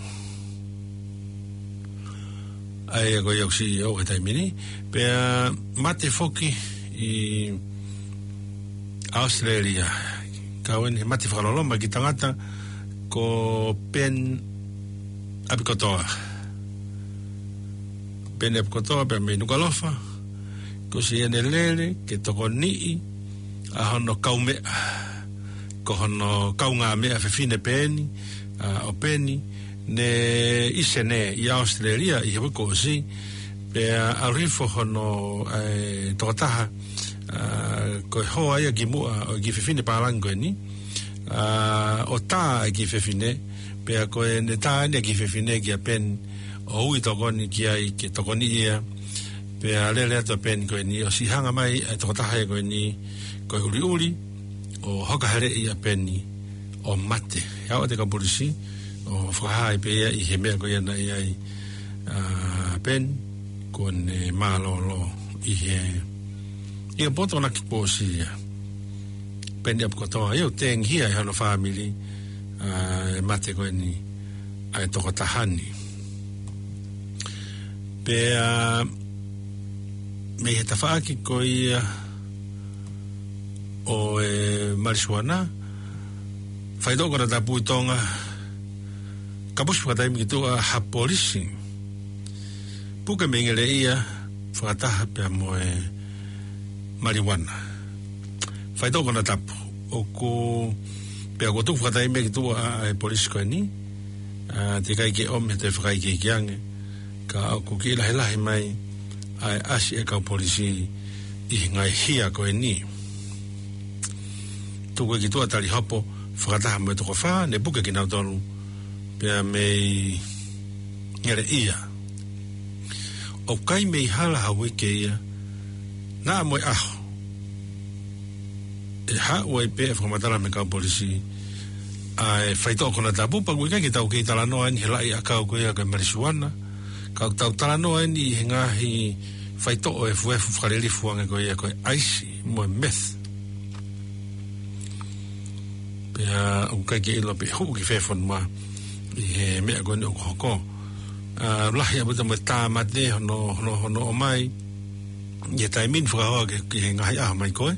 ʻA ia ko ia ʻoku C E O he taimi ni, pea mate foki ʻi ʻAositelēlia. Kau eni he mate fakaloloma ki he tangata ko Peni ʻApikotoa. Peni ʻApikotoa pea mei Nukuʻalofa, kuo ʻosi ʻene lele ke tokoniʻi ʻa hono kaumeʻa, ko hono kaungāmeʻa fefine pē eni, ʻa, ʻo Peni, ne ʻi Senē, ʻi ʻAositelēlia, ʻi he uike kuo ʻosi, pea ʻalu hifo hono, ʻa e tokotaha, ʻa, ko e hoa ia kimuʻa ʻo e kiʻi fefine pālangi ko eni, ʻa, ʻo tā e kiʻi fefine, pea ko ʻene tā eni e kiʻi fefine kia Peni, ʻo ui tokoni ki ai ke tokoniʻi ia, pea lele atu ʻa Peni ko eni, ʻosi hanga mai e tokotaha ia ko eni, ko e ʻuliʻuli, ʻo hoka heleʻi ʻa Peni, ʻo mate. ʻE aʻu atu e kau polisi, ʻo fakahā ai pē ia ʻi he meʻa ko ia naʻe ʻi ai, ʻa, Peni, kuo ne mālōlō ʻi he, ʻi he Potungāue Tukuhau ia. Peni ʻApikotoa, ʻio, tengihia ʻe hono fāmili, ʻa, e mate ko eni ʻa e tokotaha ni. Pea mei he tafaʻaki ko ia ʻo e malisuana, Faitoʻo konatapu ʻi Tonga, kapusi fakataimi ki tuʻa ha polisi. Puke mei ngeleʻia fakataha pea mo e maliuana. Faitoʻo konatapu. ʻOku, pea kuo tuku fakataimi ki tuʻa ʻa e polisi ko eni. ʻA, teʻeki ai ke ʻomi ha toe fakaikiiki ange. Ka ʻoku kiʻi lahilahi mai ʻa e ʻasi e kau polisi ʻi he ngaahi hia ko eni. Tuku ki tuʻa tali hopo fakataha mo e toko fā, ne puke kinautolu pea mei ngeleʻia. ʻOku ʻikai mei hala ha uike ia, naʻa mo e ʻaho ʻe haʻu ai pē e fakamatala mei he kau polisi ʻa e faitoʻo konatapu, pea ʻoku ʻikai ke tau kei talanoa eni he laʻi ʻakau ko ia ko e maliuana. Ka ʻoku tau talanoa eni ʻi he ngaahi faitoʻo efuefu fakalilifu ange ko ia ko e ʻaisi mo e meth. Pea ʻoku ʻikai ke ʻilo pe ʻe hū ki fē fonua ʻi he meʻa ko eni ʻoku hoko. ʻA, lahi ʻaupito mo e tāmate hono, hono, hono ʻomai ʻi he taimi ni fakahoa ki he, ki he ngaahi ʻaho mai ko ē.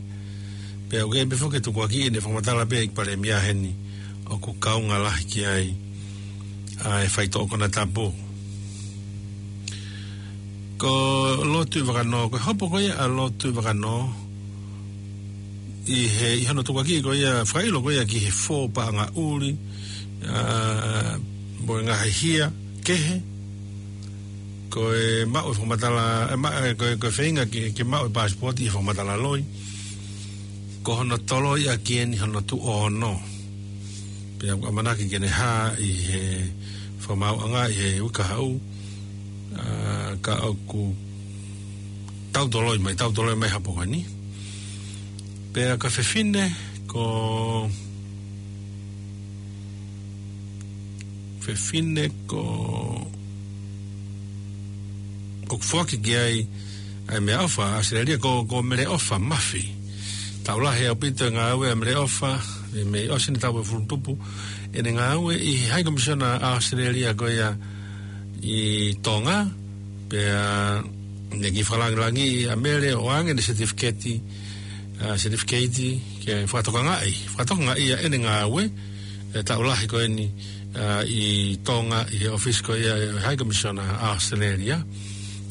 Pea ʻoku ʻi ai pē foki e tukuakiʻi ʻene fakamatala pē ʻEiki Palēmia heni ʻoku kaunga lahi ki ai ʻa e faitoʻo konatapu. Ko Lord Tuʻivakanō, ko e hopo ko ia ʻa Lord Tuʻivakanō ʻi he, ʻi hono tukuakiʻi ko ia, fakaʻilo ko ia ki he fō paʻanga ʻuli, ʻa, mo e ngaahi hia kehe, ko e maʻu e fakamatala, e ma-, e ko e, ko e feinga ke, ke maʻu e passport ʻi he fakamatala loi. Ko hono toloi ʻaki eni hono tuʻu ʻo ono. Pea ʻoku ʻamanaki ke ne hā ʻi he fakamaauʻanga ʻi he uike kahaʻu, ʻa, ka ʻoku tau toloi mai, tau toloi mai hopo ko eni. Pea ko e fefine ko, fefine ko, ʻoku foaki ki ai ʻa e meʻaʻofa ʻa ʻAositelēlia ko, ko Meleʻofa Mafi. Taʻu lahi ʻaupito e ngāue ʻa Meleʻofa, mei, mei ʻosi eni taʻu ʻe hongofulu tupu ʻene ngāue ʻi he High Commissioner ʻa ʻAositelēlia ko ia ʻi Tonga, pea ne kiʻi fakalangilangiʻi ʻa Mele ʻo ʻoange ʻene certificate, ʻa, certificate ke fakatokangaʻi, fakatokangaʻi ʻa ʻene ngāue, e taʻu lahi ko eni, ʻa, ʻi Tonga, ʻi he ʻōfisi ko ia e High Commissioner ʻa ʻAositelēlia.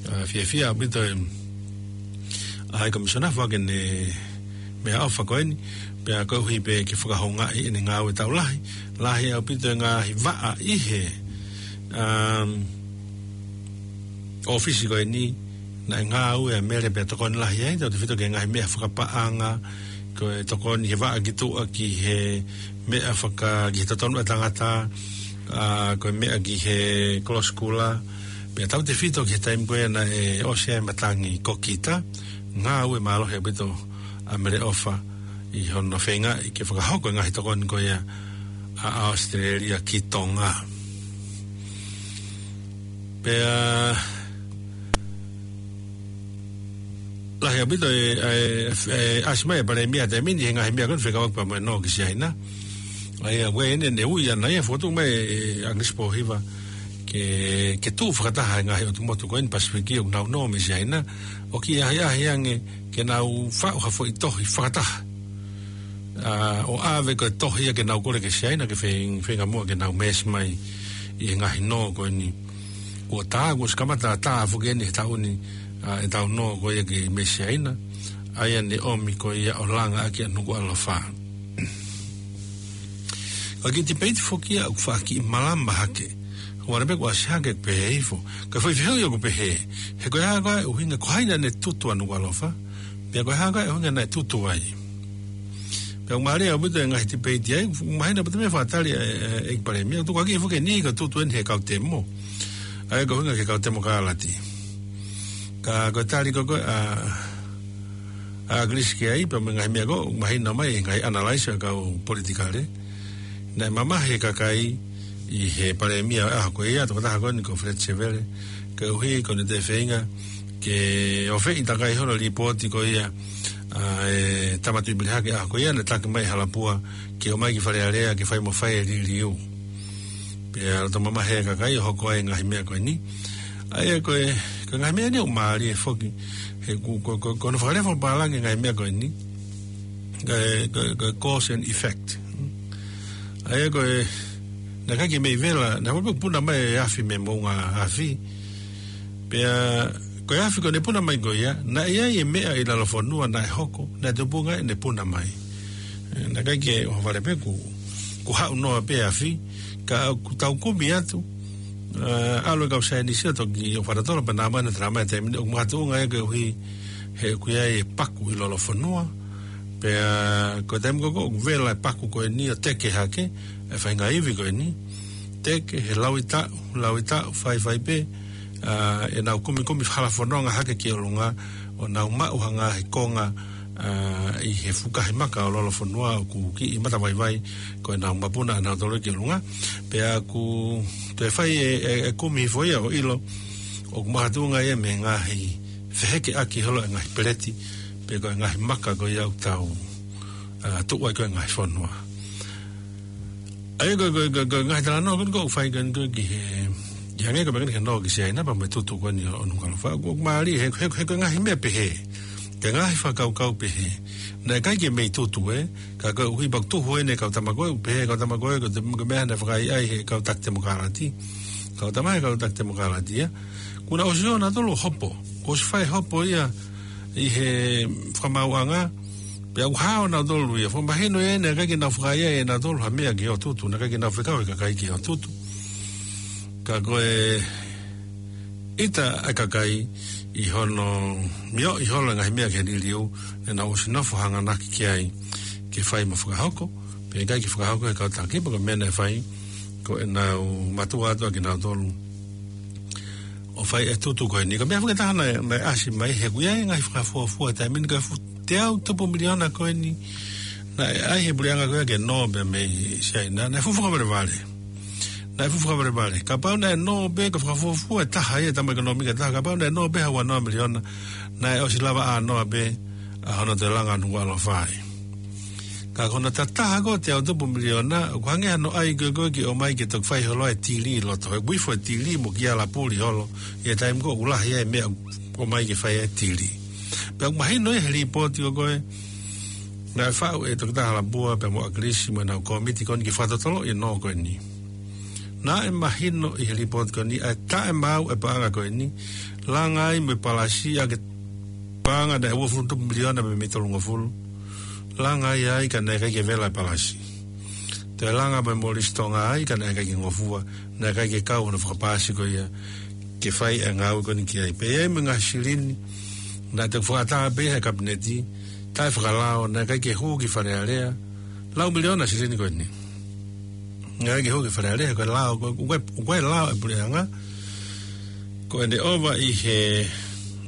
ʻA, fiefia ʻaupito e, ʻa, High Commissioner foaki ʻene meʻaʻofa ko eni, pea koeʻuhi pē ke fakahoungaʻi ʻene ngāue taʻu lahi, lahi ʻaupito e ngaahi vaʻa ʻi he, um, ʻōfisi ko eni, naʻe ngāue ʻa Mele pea tokoni lahi ai, tautefito ki he ngaahi meʻa fakapaʻanga, ko e tokoni he vaʻa ki tuʻa ki he meʻa faka-, ki he totonu ʻa e tangata, ʻa, ko e meʻa ki he kolosi kula, pea tautefito ki he taimi ko ia naʻe ʻosi ai e matangi kokita, ngāue mālohi ʻaupito ʻa Meleʻofa ʻi hono feingaʻi ke fakahoko e ngaahi tokoni ko ia ʻa, ʻa ʻAositelēlia ki Tonga. Pea lahi ʻaupito e, e, e, ʻasi mai e Palēmia he taimi ni he ngaahi meʻa ko eni fekauʻaki pea mo e nō ki Siaina. ʻA ia, ʻa ia ʻoku ne, ne ui ʻana ia fotu mai ʻe ʻAkilisi Pōhiva ke, ke tuʻu fakataha e ngaahi ʻotu motu ko eni Pasifiki ʻoku nau nō mei Siaina, ʻo kiʻi ʻahiʻahi ange ke nau faʻu ha foʻi tohi fakataha. ʻA, ʻo ʻave ko e tohi ia ke nau kole ki Siaina ke fei-, feinga muʻa ke nau meesi mai ʻi he ngaahi nō ko eni. Kuo tā, kuo ʻosi kamata tā foki eni he taʻu ni, ʻa, ʻetau nō ko ia ki mei Siaina, ʻa ia ne ʻomi ko ia ʻo langa ʻaki ʻa Nukuʻalofa. Ko e kiʻi tipeiti foki ia ʻoku faʻa kiʻi malama hake. Ko e ʻuhinga pē kuo ʻasi hake pehē hifo. Ka foʻi fehuʻi ʻoku pehē, he ko e hā koā e ʻuhinga, ko hai naʻa ne tutu ʻa Nukuʻalofa, pea ko e hā koā e ʻuhinga naʻe tutu ai. Pea ʻoku mālie ʻaupito e ngaahi tipeiti ai, mahino pē te mea fakatali e, e, ʻEiki Palēmia, tukuakiʻi foki eni ka tutu eni he kau temo. ʻA ia ko e ʻuhinga ki he kau temokalati. Ka ko e tali ko ē ʻa, ʻa ʻAkilisi ki ai, pea mo e ngaahi meʻa ko ē, mahino mai, ngaahi analyse ʻa e kau politikale. Naʻe mamahi e kakai ʻi he Palēmia ʻo e ʻaho ko ia, tokotaha ko eni ko Fred Sevele, koeʻuhi ko ʻene toe feinga ke ʻofeʻi takai hono lipooti ko ia, ʻa, e Tama Tuʻipelehake ʻaho ko ia, naʻe taki mai ʻe Halapua ke ō mai ki Fale Alea ke fai mo fai e liliu. Pea loto mamahi e kakai ʻo hoko ai e ngaahi meʻa ko eni. ʻA ia ko e, ko e ngaahi meʻa ni ʻoku mālie foki, he ko, ko, ko, ko hono fakalea fakapālangi e ngaahi meʻa ko eni, ko e, ko e, ko e cause and effect. ʻA ia ko e, naʻe ʻikai ke mei vela, naʻe hoko pē puna mai e afi mei he moʻunga afi. Pea, ko e afi ko ē naʻe puna mai ko ia, naʻe ʻi ai e meʻa ʻi lalo fonua naʻe hoko, naʻe tupunga ʻene puna mai. ʻE, naʻe ʻikai ke ʻohovale pē kuo, kuo haʻu noa pē afi, ka ʻoku tau kumi atu, ʻa, ʻalu e kau saienisi ʻo toki ʻo fakatotolo pē naʻa mane tala mai taimi ni ʻoku makatuʻunga ia koeʻuhi he ʻoku ʻi ai e paku ʻi lalo fonua. Pea ko e taimi ko ē ʻoku vela e paku ko eni ʻo teke hake, e faʻahinga ivi ko eni. Teke, he lauʻi taʻu, lauʻi taʻu, faifai pē, ʻa, ʻenau kumikumi hala fononga hake ki ʻolunga, ʻo nau maʻu ha ngaahi konga, ʻa, ʻi he fukahi maka ʻo lalo fonua ʻoku kiʻi matavaivai, ko ʻenau mapuna ʻanautolu ki ʻolunga. Pea ʻoku toe fai e, e, e kumi hifo ia ʻo ʻilo, ʻoku makatuʻunga ia mei he ngaahi fehekeʻaki holo e ngaahi peleti, pe ko e ngaahi maka ko ia ʻoku tau, ʻa, tuʻu ai ko ē ngaahi fonua. ʻA ia ko e, ko e, ko e, ko e ngaahi talanoa ko eni ʻoku fai ko eni ko ē ki he, ʻi hangē ko e meʻa ko eni ke nō ki Siaina pea mo e tutu ko eni ʻo, ʻo Nukuʻalofa. ʻOku, ʻoku mālie, he, he, he ko e ngaahi meʻa pehē. Ko e ngaahi fakakaukau pehē. Naʻe ʻikai ke mei tutu ē, ka koeʻuhi pē ʻoku tuhu eni e kau tama ko ē, ʻoku pehē e kau tama ko ē, ko e te-, ko e meʻa naʻe fakaʻaiʻai he kau taki temokalati. Kau tama he kau taki temokalati ia. Kuo nau ʻosi ō nautolu hopo. Kuo ʻosi fai hopo ia ʻi he fakamaauʻanga. Pea ʻoku hao nautolu ia. Fakamahino ia naʻe ʻikai ke nau fakaʻaiʻai ʻe nautolu ha meʻa ki hoʻo tutu. Naʻe ʻikai ke nau fekau e kakai ki hoʻo tutu. Ka ko e ʻita e kakai ʻi hono mioʻi holo e ngaahi meʻa ki he liliu, naʻa nau ʻosi nofo hanganaki ki ai ke fai mo fakahoko, pea ʻikai ke fakahoko he kau taki, pea ko e meʻa naʻe fai, ko ʻenau mātuʻa atu ʻa kinautolu ʻo fai e tutu ko eni. Ko e meʻa foki ʻe taha naʻe, naʻe ʻasi mai he ʻoku ʻi ai e ngaahi fakafuofua taimi ni ko e fuʻu teau tupu miliona ko eni, naʻe ʻai he puleʻanga ko ia ke nō pē mei Siaina, naʻe fuʻu fakavalevale. Naʻe fuʻu fakavalevale. Kapau naʻe nō pē, ko e fakafuofua ʻe taha ia, tama ʻekonōmika ʻe taha, kapau naʻe nō pē ha ua noa miliona, naʻe ʻosi lava ʻānoa pē ʻa hono toe langa Nukuʻalofa ai. Ka ko hono tataha ko ē teau tupu miliona, ʻoku hangē hano ʻai ko ē ko ē ke ʻomai ke toki fai holo e tili ʻi loto. ʻOku ifo e tili mo kia lapuli holo, ʻi he taimi ko ē ʻoku lahi ai e meʻa ʻoku ʻomai ke fai e tili. Pea ʻoku mahino ia he lipooti ko ē, naʻe faʻu ʻe Toketā Halapua pea mo ʻAkilisi mo ʻenau kōmiti ko eni ke fakatotoloʻi e nō ko eni. Naʻe mahino ʻi he lipooti ko eni ʻa e taʻemaau e paʻanga ko eni, langa ai mo e palasi ʻa e paʻanga naʻe uofulu tupu miliona mei he tolungofulu. Langa ai ai ka naʻe ʻikai ke vela e palasi. Toe langa mo e molisi Tonga ai ka naʻe ʻikai ke ngofua, naʻe ʻikai ke kau hono fakapaasi ko ia ke fai e ngāue ko eni ki ai. Pea ʻi ai mo e ngaahi silini, naʻe toki fakaʻatā pē he kapineti, taʻefakalao, naʻe ʻikai ke hū ki Fale Alea, lau miliona silini ko eni. Naʻe ʻikai ke hū ki Fale Alea, ko e lao, ko e, ko e lao e puleʻanga, ko ʻene ʻova ʻi he,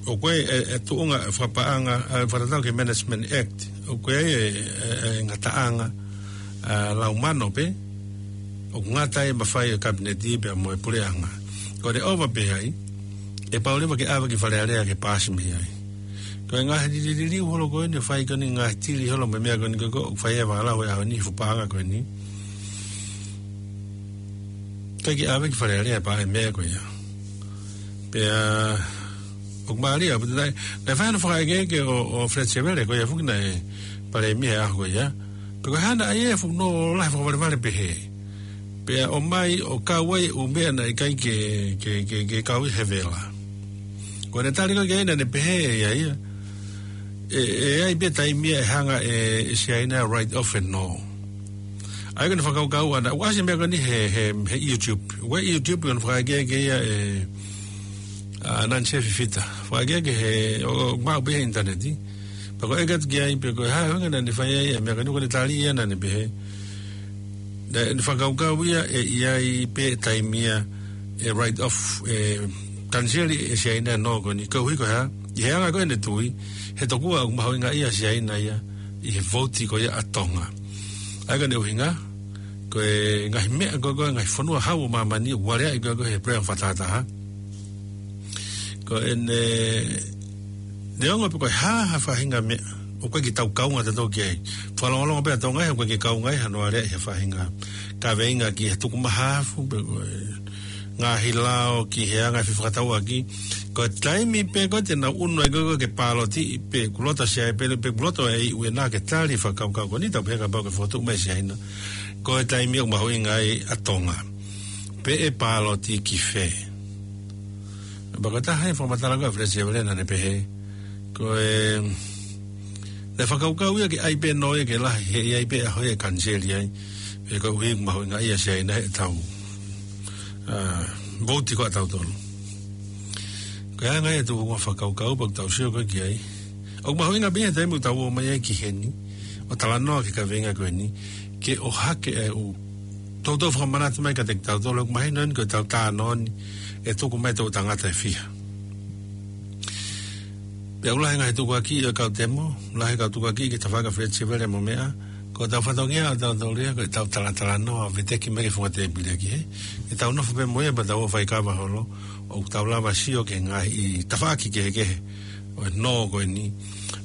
ʻoku ʻi ai e, e tuʻunga e fakapaʻanga, ʻa e fakatatau ki he Management Act, ʻoku ʻi ai e, e, e ngataʻanga, ʻa, lau mano pē, ʻoku ngata ai e mafai e kapineti pea mo e puleʻanga. Ko ʻene ʻova pē ai, ʻe pau leva ke ʻave ki Fale Alea ke paasi mei ai. Ko e ngaahi liliu holo ko eni, fai ko eni ngaahi tili holo mo e meʻa ko eni ko ē, ʻoku fai e fakalau he ʻaho ni he fuʻu paʻanga ko eni. ʻIkai ke ʻave ki Fale Alea pē e meʻa ko ia. Pea, ʻoku mālie, ʻa, pea naʻe, naʻe fai hono fakaʻekeʻeke ʻo, ʻo Fred Sevele, ko ia foki naʻe palēmia he ʻaho ko ia. Pea ko e hā naʻe ʻai e fuʻu nō lahi fakavalevale pehē. Pea ʻomai ʻo kau ai e ʻū meʻa naʻe ʻikai ke, ke, ke, ke kau ʻi he vela. Ko ʻene tali ko ē ki ai naʻa ne pehē ʻe ia ia. ʻE, ʻe ʻi ai pē taimi ia ʻe hanga ʻe, ʻe Siaina write off e nō. ʻA ia ko ʻene fakakaukau ʻana, ʻoku ʻasi e meʻa ko eni he, he, he YouTube. Ko e YouTube ko ʻene fakaʻekeʻeke ia ʻe, ʻa, Nancy Fifita. Fakaʻekeʻeke he, ʻo, ʻo maʻu pē he ʻinitaneti. Pea ko e ʻeke atu ki ai, pe ko e hā e ʻuhinga naʻa ne fai ai e meʻa ko eni, ko ʻene tali ia naʻa ne pehē. Naʻa ne fakakaukau ia ʻe ʻi ai pē taimi ia ʻe write off, ʻe kaniseli ʻe Siaina e nō ko eni, koeʻuhi ko e hā, ʻi he anga ko ē ʻene tui, he tokua ʻoku mahuʻingaʻia ʻa Siaina ia ʻi he vouti ko ia ʻa Tonga. ʻA ia ko ʻene ʻuhinga, ko e ngaahi meʻa ko ē, ko e ngaahi fonua hau ʻo māmani, ʻoku aleaʻi ko ē, ko ē he puleʻanga fakatahataha. Ko ʻene, neongo pe ko e hā ha faʻahinga meʻa, ʻoku ʻikai ke tau kaunga tautolu ki ai. Fakalongolongo pē ʻa Tonga ia, ʻoku ʻikai ke kaunga ia hano aleaʻi ha faʻahinga kaveinga ki he tukumahafu, pe ko e ngaahi lao ki he anga e fefakatauʻaki. Ko e taimi pē ko ē te nau ʻunu ai ko ē ke pāloti, pe kuo loto ʻa Siaina, pe, pe kuo loto ʻa e ʻEiki ʻena ke tali e fakakaukau ko eni, tau pehē kapau ʻoku fokotuʻu mai ʻe Siaina, ko e taimi ʻoku mahuʻinga ai ʻa Tonga. Pe ʻe pāloti ki fē. Pea ko e taha e fakamatala ko ē ʻa Feleti Sevele naʻa ne pehē, ko e, naʻe fakakaukau ia ke ʻai pē nō ia ke lahi, he ʻe ʻi ai pē ʻaho ia ʻe kaniseli ai, he koeʻuhi ʻoku mahuʻingaʻia ʻa Siaina heʻetau, ā, vouti ko ē ʻatautolu. Ko e anga ia ʻetau fakakaukau pea ʻoku tau sio ko ē ki ai. ʻOku mahuʻinga pē ia he taimi ʻoku tau ō mai ai ki heni, ʻo talanoa ki he kaveinga ko eni, ke ʻohake ʻa e ʻū toutou fakamanatu mai kiate kitautolu, ʻoku mahino eni ko ʻetau talanoa ni, ʻe tuku mai ʻe he toʻu tangata ʻe fiha. Pea ʻoku lahi e ngaahi tukuakiʻi ʻo e kau temo, lahi e kau tukuakiʻi ki he tafaʻaki ʻa Feleti Sevele mo meʻa, ko ʻetau fatongia ʻatautolu ia, ko ʻetau talatalanoa, veteki mai ki he funga tēpile ki hē, ke tau nofo pē mo ia pea tau ō ʻo fai kava holo, ʻo tau lava sio ki he ngaahi tafaʻaki kehekehe ʻo e nō ko eni,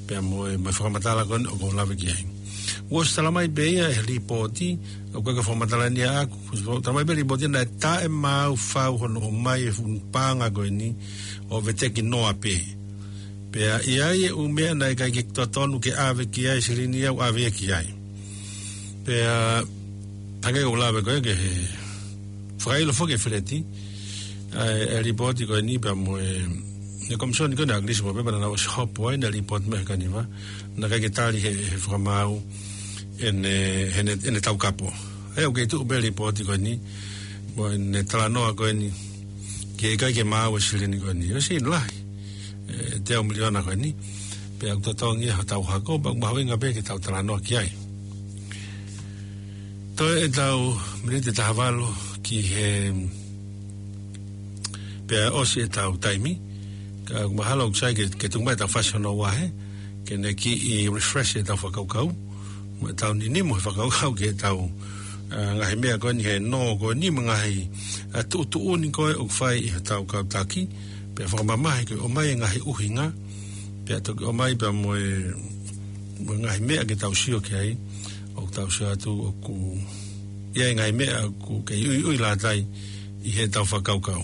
pea mo e, mo e fakamatala ko eni ʻoku ou lave ki ai. Kuo ʻosi tala mai pē ia ʻe he lipooti, ʻoku ʻikai ke fakamatala ni ʻaʻaku, kuo ʻosi tala mai pē ʻe he lipooti naʻe taʻemaau fau hono ʻomai e fuʻu paʻanga ko eni ʻo veteki noa pē. Pea ʻi ai e ʻū meʻa naʻe ʻikai ke totonu ke ʻave ki ai e silini ia ʻoku ʻave ia ki ai. Pea hangē ko ʻeku lave ko ē ki he fakaʻilo foki ʻe Feleti, ʻa e, e lipooti ko eni pea mo e, e komisioni ko eni ʻa ʻAkilisi Moʻopepa naʻa nau ʻosi hopo ai, naʻe lipooti mai ʻe he Kaniva, naʻe ʻikai ke tali ʻe he, he fakamaau ʻene, ʻene, ʻene taukapo. ʻA ia ʻoku kei tuʻu pē lipooti ko eni, mo ʻene talanoa ko eni, ke ʻikai ke maau e silini ko eni. ʻOsi lahi, e, teau miliona ko eni, pea ʻoku totongi ia hotau hako, pea ʻoku mahuʻinga pē ke tau talanoa ki ai. Toe ʻetau miniti ʻe taha valu ki hē, pea ʻosi ʻetau taimi, ka ʻoku mahalo ʻoku sai ke, ke tuku mai ʻetau fasi hono ua hē, ke ne kiʻi refresh ʻetau fakakaukau, mo ʻetau ninimo he fakakaukau ki heʻetau, ā, ngaahi meʻa ko eni he nō ko eni mo e ngaahi, ā, tuʻutuʻuni ko ē ʻoku fai ʻe hotau kau taki, pea fakamamahi ke ʻomai e ngaahi ʻuhinga, pea toki ʻomai pea mo e, mo e ngaahi meʻa ke tau sio ki ai, ʻoku tau sio atu ʻoku ʻi ai e ngaahi meʻa ʻoku kei ʻuiʻui lata ai ʻi heʻetau fakakaukau.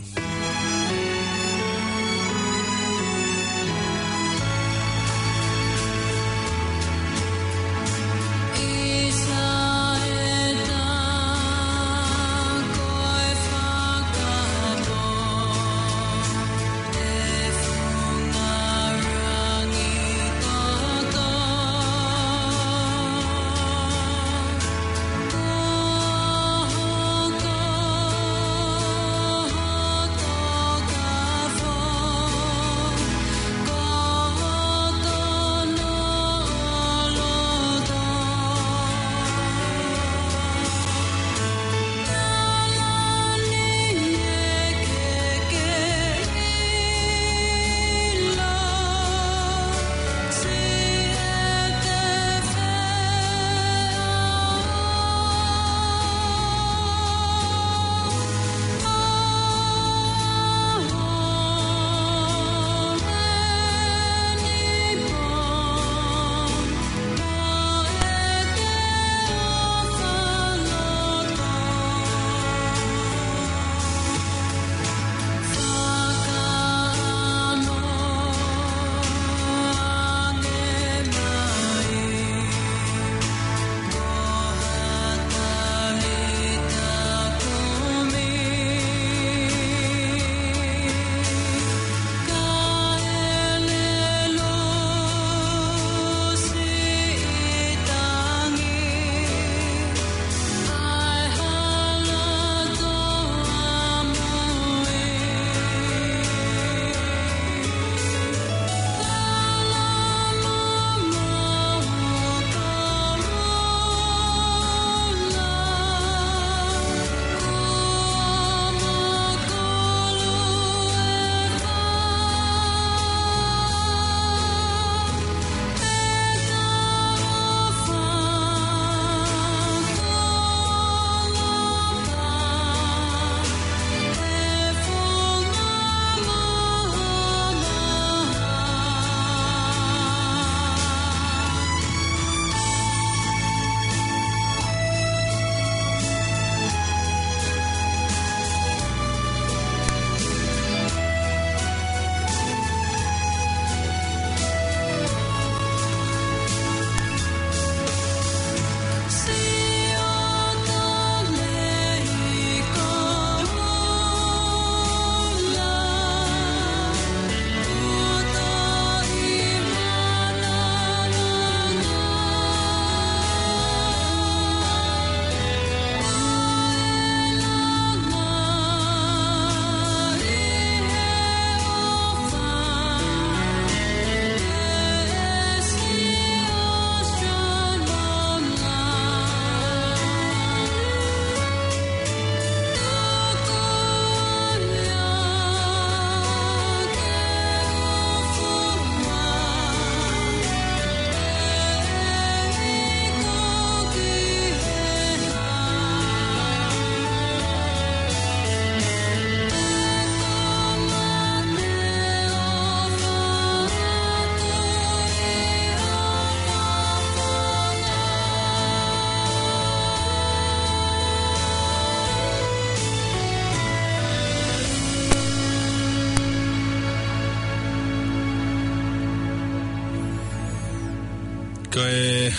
Ko e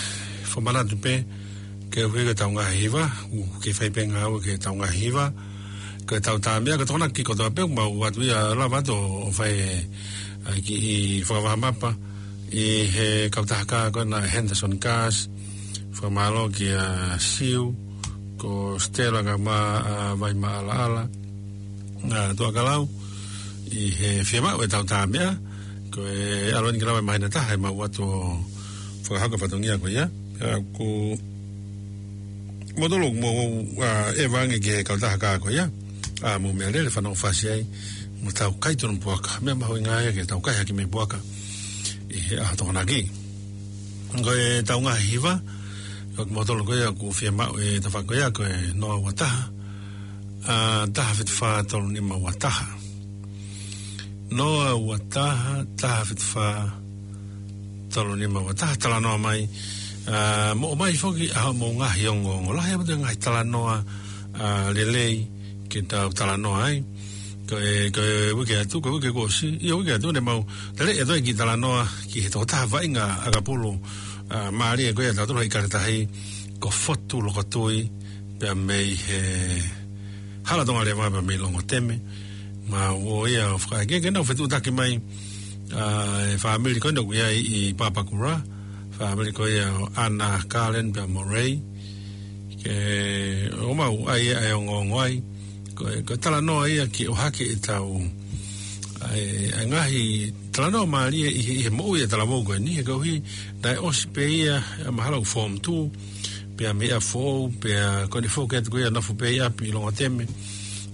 fakamanatu pē, ke ui ke tau ngaahi hiva, ʻoku ke fai pē ngāue ke tau ngaahi hiva, ko e tau tā meʻa, ko e tokonaki kotoa pē, mau ʻoatu ia lava atu ʻo fai ʻa e kiʻi fakavahamapa, ʻi he kautaha kā ko ena Henderson Cars, fakamālō kia Siu, ko Stella ka ma, ʻa, Vai Maʻalaʻala, ʻa, Tuʻakalau, ʻi he fiemaʻu e tau tā meʻa, ko e ʻalu eni ke lava e māhina ʻe taha ʻemau ʻoatu ʻo fakahoko e fatongia ko ia. ʻA, ko motolo mo, ʻa, ʻeva ange ki he kautaha kā ko ia. ʻA, mou meʻa lele fanongo fasi ai, mo tau kai tonu puaka. Meʻa mahuʻinga ia ke tau kai hake mei puaka. ʻI he ʻaho Tokonaki. Ko e tau ngaahi hiva, ko motolo ko ia ʻoku fiemaʻu e tafaʻaki ko ia ko e noa ua taha, ʻa, taha fitu fā tolu nima ua taha. Noa ua taha, taha fitu fā, tolu nima ua taha, talanoa mai. ʻA, mo ʻomai foki ʻa hoʻomou ngaahi ongoongo. Lahi ʻaupito e ngaahi talanoa, ʻa, lelei, ke tau talanoa ai. Ko e, ko e uike atu, ko e uike kuo ʻosi, ʻi he uike atu ne mau, tale e toe kiʻi talanoa, ki he tokotaha vaʻinga ʻakapulu, ʻa, mālie ko ia ʻa tautolu ʻi Kaletahi, ko Fotu Lokotui, pea mei he Hala Tonga Leva pea mei Longoteme, ma ō ia ʻo fakaʻeke ke nau fetuʻutaki mai, ʻa, e fāmili ko ena ʻoku ʻi ai ʻi Papakura, fāmili ko ia ʻo ʻAna, Kalen pea mo Rei, ke ʻomai ʻa e ongoongo ai, ko e, ko e talanoa ia ke ʻohake e tau, ʻa e, ʻa e ngaahi talanoa mālie ʻi he, ʻi he moʻui e talavou ko eni, he koeʻuhi, naʻe ʻosi pē ia, ʻa, mahalo form two, pea mei ʻapi foʻou, pea ko eni foki atu ko ia nofo pē ʻi ʻapi ʻi Longoteme,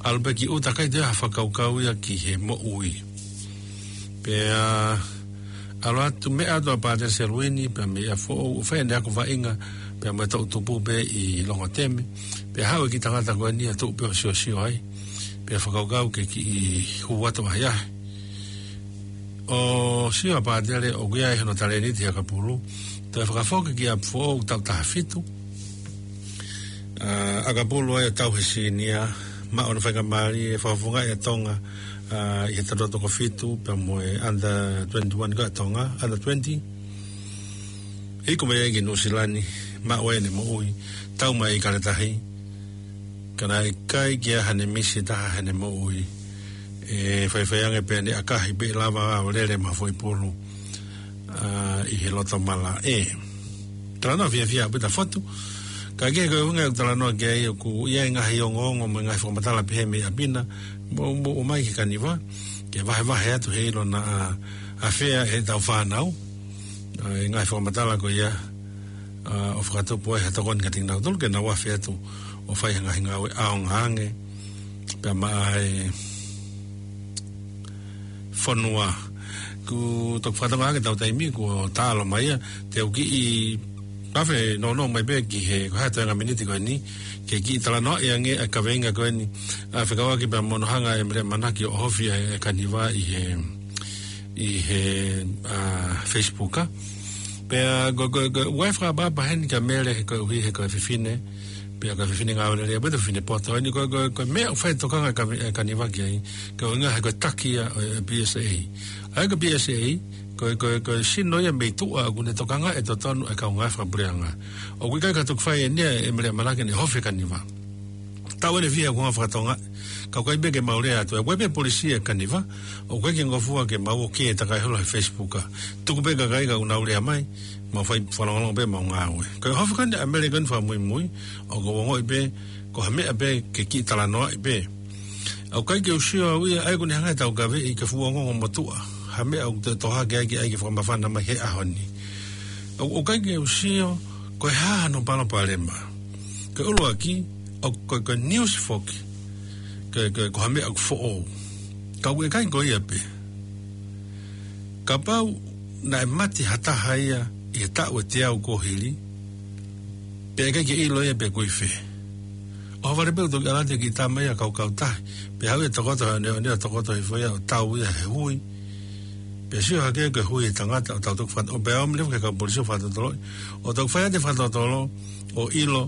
ʻalu pē ki ʻuta ʻikai toe ʻi ai ha fakakaukau ia ki he moʻui. Pea ʻalu atu meʻa atu ʻa Pātele Seluini, pea mei ʻapi foʻou, ʻo fai ʻene ako vaʻinga, pea mo e toʻu tupu pē ʻi Longoteme, pea haʻu e kiʻi tangata ko eni ʻo tuʻu pē ʻo siosio ai, pea fakakaukau ke kiʻi hū atu ʻahiʻahi. ʻO sio ʻa Pātele ʻoku ʻi ai hono talēniti he ʻakapulu, toe fakafoki ki ʻapi foʻou taʻu taha fitu, ʻa, ʻakapulu ai ʻo tauhi e senior, maʻu hono faingamālie, fakafofongaʻi ʻa Tonga, ʻa, ʻi he taʻu toko fitu, pea mo e under twenty-one ko ia ʻa Tonga, under twenty. Hiko mai ai ki Nuʻusila ni, maʻu ai ʻene moʻui, tau mai ʻi Kaletahi, ka naʻe ʻikai ke ʻi ai haʻane misi ʻe taha heʻene moʻui, ʻe faifai ange pē ʻene ʻakahi pē lava ʻo lele maʻa e foʻi pulu, ʻa, ʻi he loto malaʻe. Talanoa fiefia ʻaupito ʻa Fotu. Ka ke ko e ʻuhinga ʻeku talanoa ki ai ʻoku ʻi ai e ngaahi ongoongo mo e ngaahi fakamatala pehē mei ʻapi na, mo, mo ʻomai ki Kaniva, ke vahevahe atu he ʻilo naʻa, ʻa, fea e tau fānau, ʻa, e ngaahi fakamatala ko ia, ʻa, ʻo fakatupu ai ha tokoni kiate kinautolu ke nau afe atu ʻo fai ha ngaahi ngāue ʻaonga ange, pea maʻa e fonua. Kuo toki fakatokangaʻi ange ʻetau taimi kuo taʻalo mai ia, te u kiʻi afe nounou mai pē ki he, ko e hā e toenga miniti ko eni, ke kiʻi talanoaʻi ange ʻa e kaveinga ko eni, ʻa, fekauʻaki pea mo hono hanga ʻe Mele ʻAmanaki ʻo ʻohofi ʻa e Kaniva ʻi he, ʻi he, ʻa, Facebook, ʻa. Pea ko, ko, ko, ʻoku ʻi ai e fakaʻapaʻapa heni kia Mele he koeʻuhi he ko e fefine, pea ko e fefine ngāue lelei, pea ko e fefine poto. Eni ko, ko, ko e meʻa ʻoku fai e tokanga ʻa e Kaniva ki ai, ko e ʻuhinga he ko e taki ia ʻo e P S A. ʻA ia ko e P S A, ko, ko, ko e sino ia mei tuʻa ʻoku ne tokangaʻi e totonu e kau ngāue fakapuleʻanga. ʻOku ʻikai ke toki fai eni ia ʻe Mele ʻAmanaki ʻene ʻohofi e Kaniva. Tau ʻene fiha kuo ngā fakatonga, ka ʻoku ʻikai pē ke mau lea atu. ʻOku ʻi ai pē e polisi ʻa e Kaniva, ʻoku ʻikai ke ngofua ke mau ō ki he takai holo he Facebook, ʻa. Tuku pē e kakai ka ʻoku nau lea mai, mau fai fakalongolongo pē ʻemau ngāue. Ko e ʻohofi ko eni ʻa Mele ko eni fakamuimui, ʻoku ou ongoʻi pē, ko ha meʻa pē ke kiʻi talanoaʻi pē. ʻOku ʻikai ke u sio au ia, ʻa ia ʻoku ne hanga ʻe he taukaveʻi ke fuʻu ongoongo motuʻa, ha meʻa ʻoku te tohake ai ke ʻai ke fakamafana mai he ʻaho ni. ʻOku, ʻoku ʻikai ke u sio, ko e hā hano palopalema. Ko e ʻuluaki, ʻoku, ko e, ko e news foki, ko e, ko e, ko ha meʻa ʻoku foʻou. Ka ʻoku ʻikai ko ia pē. Kapau naʻe mate ha taha ia ʻi he taʻu ʻe teau kuo hili, pea ʻikai ke ʻilo ia pe ʻoku ʻi fē. ʻOhovale pē ʻo toki ʻalu atu e kiʻi tama ia ʻo kaukau tahi, pea haʻu ia ʻo tokoto he ʻoneʻone, ʻo tokoto hifo ia ʻo tau ia he hui. Pea sio hake ko e hui e tangata ʻo tau toki faka-, ʻo pea ō mai leva ki he kau polisi ʻo fakatotoloʻi. ʻO toki fai atu e fakatotolo, ʻo ʻilo,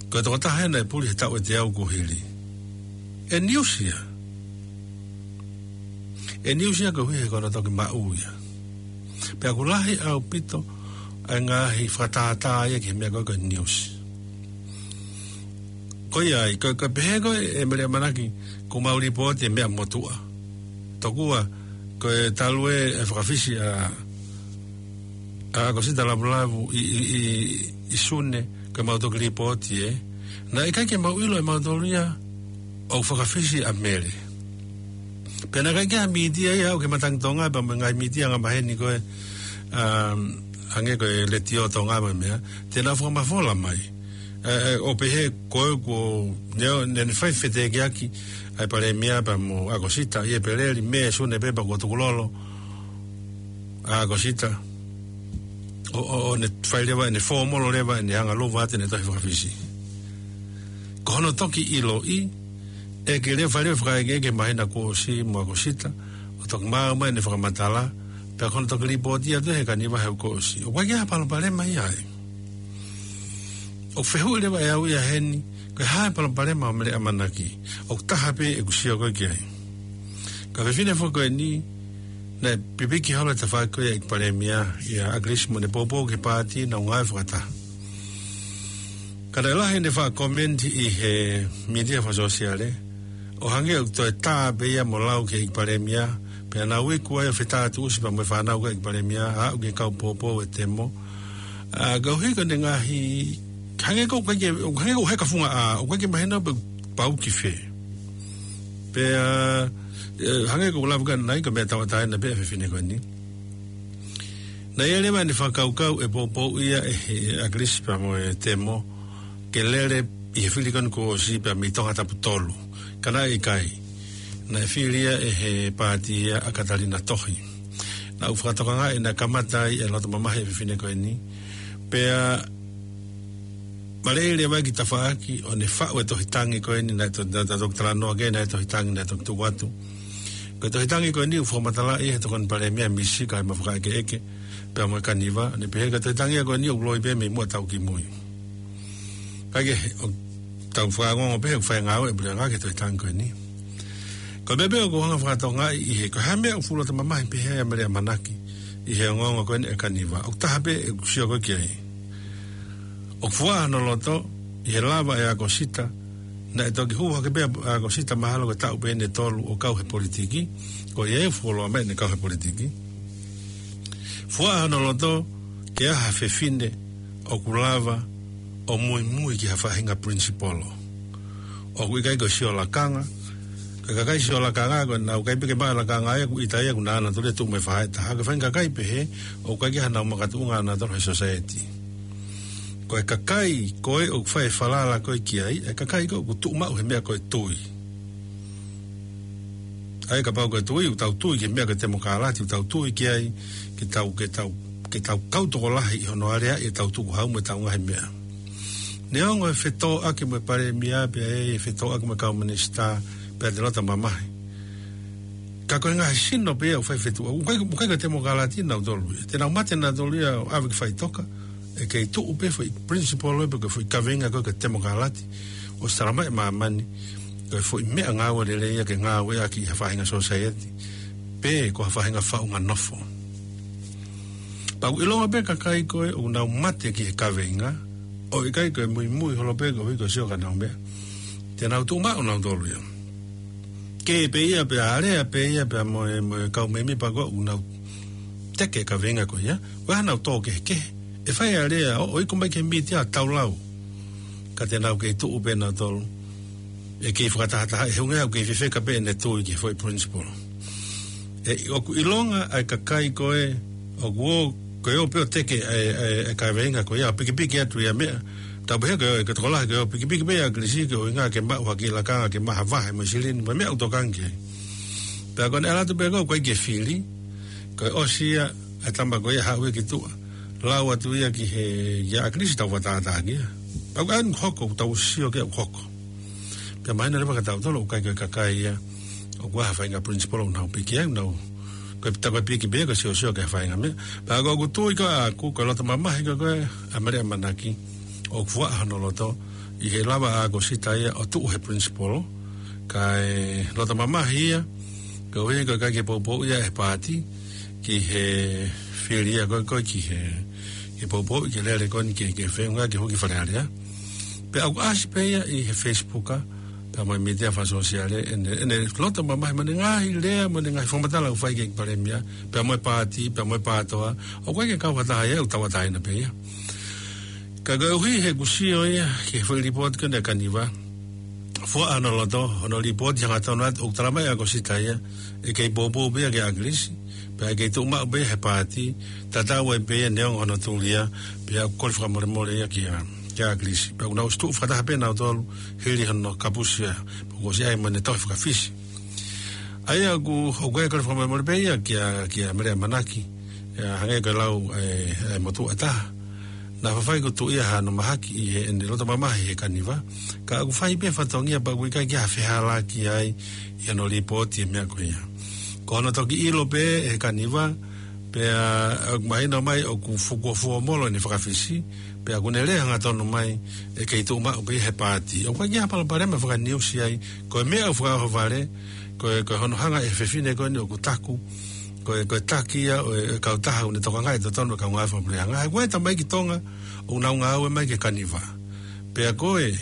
ko e tokotaha ena naʻe puli he taʻu ʻe teau kuo hili. ʻE news ia. ʻE news ia koeʻuhi he ko hono toki maʻu ia. Pea ʻoku lahi ʻaupito ʻa e ngaahi fakatātā ia ki he meʻa ko ē ko e news. Ko ia ai, ko, ko e pehē ko ē ʻe Mele ʻAmanaki, ko ʻemau lipooti e meʻa motuʻa. Tokua, ko e talu e fakafisi ʻa, ʻa ʻAkosita Lavulavu ʻi, ʻi, ʻi, ʻi Sune, ko ʻemau toki lipooti ē. Naʻe ʻikai ke mau ʻilo ʻe mautolu ia, ʻoku fakafisi ʻa Mele. Pea naʻe ʻikai ke ʻi ai ha mītia ia ʻoku ke matangi Tonga, pea mo e ngaahi mītia angamaheni ko ē, um, hangē ko e Letiō Tonga mo e meʻa, te nau fakamafola mai. Ē, ē, ʻo pehē ko ē ko, ne, ne, ne fai fetekiaki, ʻa e Palēmia pea mo ʻAkosita, ʻi ʻEpeleli, Mē, Sune pē pea kuo tukulolo ʻa ʻAkosita. ʻO, ʻo, ʻo ne fai leva, ne fōmolo leva, ne anga luva atu ʻene tohi fakafisi. Ko hono toki ʻiloʻi, ʻe ke leva fai leva fakaʻekeʻeke māhina kuo ʻosi mo ʻAkosita, ʻo toki maʻu mai ʻene fakamatala, pea ko hono toki lipooti atu he Kaniva he kuo ʻosi. ʻOku ʻikai ke ʻi ai ha palopalema ia ai. ʻOku fehuʻi leva ʻe au ia heni, ko e hā e palopalema ʻo Mele ʻAmanaki, ʻoku taha pē ʻeku sio ko ē ki ai. Ko e fefine foki ko eni, naʻe pipiki holo e tafaʻaki ko ia ʻEiki Palēmia, ʻia ʻAkilisi mo ʻene poupou ki he paati, nau ngāue fakataha. Ka naʻe lahi ʻene faʻa komeni ʻi he mītia fakasōsiale, ʻo hangē ʻoku toe tā pē ia mo lau ki he ʻEiki Palēmia, pea nau iku ai ʻo fetātuʻusi pea mo e fānau ko ē ʻEiki Palēmia, aʻu ki he kau poupou e temo. ʻA, ka ʻuhi ko ʻene ngaahi, hangē ko ʻoku ʻikai ke, hangē ko ʻoku heka funga ʻā, ʻoku ʻikai ke mahino pe ʻoku pau ki fē. Pea, ē, hangē ko ʻeku lave ko ē ʻanenai, ko e meʻa tauʻatāina pē ʻa e fefine ko eni. Naʻe ʻi ai leva ʻene fakakaukau ʻe poupou ia ʻe he ʻAkilisi pea mo e temo, ke lele ʻi he fili ko eni kuo ʻosi pea mei Tongatapu tolu. Ka naʻe ʻikai. Naʻe fili ia ʻe he paati ia ʻa Katalina Tohi. Naʻa ku fakatokangaʻi naʻe kamata ai e loto mamahi e fefine ko eni. Pea maleʻi leva ki tafaʻaki ʻo ne faʻu e tohi tangi ko eni naʻe to-, naʻa tau toki talanoa ki ai, naʻe tohi tangi naʻe toki tuku atu. Ko e tohi tangi ko eni ʻoku fakamatalaʻi he Tokoni Palēmia Misi kae ma fakaʻekeʻeke, pea mo e Kaniva, ne pehē ko e tohi tangi ko eni ʻoku loi pē mei muʻa tau kimui. Kae kehe, ʻoku tau fakaongoongo pē he ʻoku fai ngāue e puleʻanga ki he tohi tangi ko eni. Ko e meʻa pē ʻoku ou hanga fakatokangaʻi ʻi he, ko e hā e meʻa ʻoku fuʻu loto mamahi pehē ai ʻa Mele ʻAmanaki ʻi he ongoongo ko eni ʻa e Kaniva. ʻOku taha pē ʻeku sio ko ē ki ai. ʻOku fuaʻa hono loto, ʻi he lava ʻe ʻAkosita, naʻe toki hū hake pē ʻa ʻAkosita mahalo ko e taʻu pē ʻe tolu ʻo kau he politiki, ko ia ʻe fuoloa mai ʻene kau he politiki. Fuaʻa hono loto, ke ʻi ai ha fefine ʻoku lava ʻo muimui ki ha faʻahinga principle. ʻOku ʻikai ko e sio lakanga, ko e kakai sio lakanga, ko ʻenau ʻikai pē ke maʻu lakanga ia, ʻoku ʻita ia, ʻoku nau ʻalu atu ʻo tuʻu mai faʻahitaha, ko e faʻahinga kakai pehē, ʻoku ʻikai ke ʻi ai hanau makatuʻunga ʻanautolu he society. Ko e kakai ko ē ʻoku fai e falala ko ē ki ai, e kakai ko ē ʻoku tuʻu maʻu he meʻa ko e tui. ʻA ia kapau ko e tui, ʻoku tau tui ki he meʻa ko e temokalati, ʻoku tau tui ki ai, ke tau, ke tau, ke tau kau tokolahi ʻi hono aleaʻi ʻetau tukuhau mo ʻetau ngaahi meʻa. Neongo e fetōʻaki mo e Palēmia, pea ʻi ai e fetōʻaki mo e kau minisitā, pea te loto mamahi. Ka ko e ngaahi sino pē ia ʻoku fai fetuʻutaki. ʻOku ʻikai, ʻoku ʻikai ko e temokalati nautolu ia. Te nau mate nautolu ia ʻo ʻave ki faʻitoka. ʻE kei tuʻu pē foʻi principle pe ko e foʻi kaveinga ko ē ko e temokalati. ʻO sala mai e māmani. Ko e foʻi meʻangāue lelei ia ke ngāueʻaki ʻi ha faʻahinga society. Pe ko ha faʻahinga faʻunga nofo. Pea ʻoku ʻilonga pē kakai ko ē ʻoku nau mate ki he kaveinga. ʻOku ʻikai ko e muimui holo pē koeʻuhi ko e sio ki haʻanau meʻa. Te nau tuʻu maʻu nautolu ia. Kē pē ia pea alea pē ia pea mo e, mo e kau mēmipa ko ē ʻoku nau teke e kaveinga ko ia. Ko e hā ʻenau tō kehekehe. ʻE fai alea ʻo, ʻo iku mai ki he mītia ʻo tau lau. Ka te nau kei tuʻu pē nautolu. ʻE kei fakatahataha, ʻe he ʻuhinga ʻoku kei fefeka pē ʻene tui ki he foʻi principle. ʻE, ʻoku ʻilonga ʻa e kakai ko ē, ʻoku ō, ko e ō pē ʻo teke ʻa e, ʻa e, ʻa e kaveinga ko ia, pikipiki atu ia meʻa. Tau pehē ko e, ko e tokolahi ko e ō, pikipiki pē ʻa ʻAkilisi ko e ʻuhinga ke maʻu ha kiʻi lakanga, ke maʻu ha vahe mo e silini, mo e meʻa ʻoku tokanga ki ai. Pea ko ʻene ʻalu atu pē ko ē, ʻoku ʻikai ke fili, ko e ʻosi ia, ʻa e tama ko ia haʻu ia ki tuʻa. Lau atu ia ki he, ʻia ʻAkilisi tau fakatātā ki ai. Pea ko e ʻaho ni ʻoku hoko, tau sio ki ai ʻoku hoko. Pea mahino leva kia tautolu ʻoku ʻikai ko e kakai ia ʻoku ʻi ai ha faʻahinga principle ʻoku nau piki ai, nau, ko e pita ko e piki pē, ko e siosio ki ha faʻahinga meʻa. Pea ko ʻeku tui ko ē ʻaʻaku, ko e loto mamahi ko ē ʻa Mele ʻAmanaki, ʻoku fuaʻa hono loto, ʻi he lava ʻa ʻAkosita ia ʻo tuʻu he principle, kae loto mamahi ia, koeʻuhi ko e ʻikai ke poupou ia ʻe he paati, ki he fili ia ko ē, ko ē ki he, ke poupouʻi, ke lele ko eni ke, ke feʻunga ke hū ki Fale Alea. Pea ʻoku ʻasi pē ia ʻi he Facebook, pea mo e mītia fakasōsiale, ʻene, ʻene loto mamahi mo ʻene ngaahi lea, mo ʻene ngaahi fakamatala ʻoku fai ki he Palēmia, pea mo e paati, pea mo e PATOA, ʻoku ʻikai ke kau ha taha ia, ʻoku tauʻatāina pē ia. Ka koeʻuhi he ʻoku sio ia ki he foʻi lipooti ko eni ʻa Kaniva, fua hono loto, hono lipooti hangatonu atu, ʻoku talamai ʻe ʻAkosita ia ʻe kei poupou pē ia ki ʻAkilisi, pea ʻe kei tuʻu maʻu pē ia he paati, tatau ai pē ia neongo hono tuli ia, pea ʻoku kole fakamolemole ia kia, kia ʻAkilisi. Pea ʻoku nau ʻosi tuʻu fakataha pē nautolu hili hono kapusi ia, pea kuo ʻosi ʻi ai mo ʻene tohi fakafisi. ʻA ia ʻoku, ʻoku ʻikai kole fakamolemole pē ia kia, kia Mele ʻAmanaki, ʻa ia hangē ko e lau ʻa e, ʻa e motuʻa ʻe taha. Naʻa faifai kuo tuʻu ia hano mahaki ʻi heʻene loto mamahi he Kaniva. Ka ʻoku fai pē fatongia pea ʻoku ʻikai ke ʻi ai ha fehālaaki ai ʻi hono lipooti e meʻa ko ia. Ko hono toki ʻilo pē ʻe he Kaniva, pea ʻoku mahino mai ʻoku fukuofuomolo ʻene fakafisi, pea ʻoku ne lea hangatonu mai ʻe kei tuʻu maʻu pē ia he paati. ʻOku ʻikai ke ʻi ai ha palopalema fakaniusi ai, ko e meʻa ʻoku fakaʻohovale, ko e, ko e hono hanga ʻe he fefine ko eni ʻoku taku, ko e, ko e taki ia ʻo e, e kautaha ʻoku ne tokangaʻi e totonu e kau ngāue fakapuleʻanga. He ko e tamaiki Tonga ʻoku nau ngāue mai ki he Kaniva. Pea ko e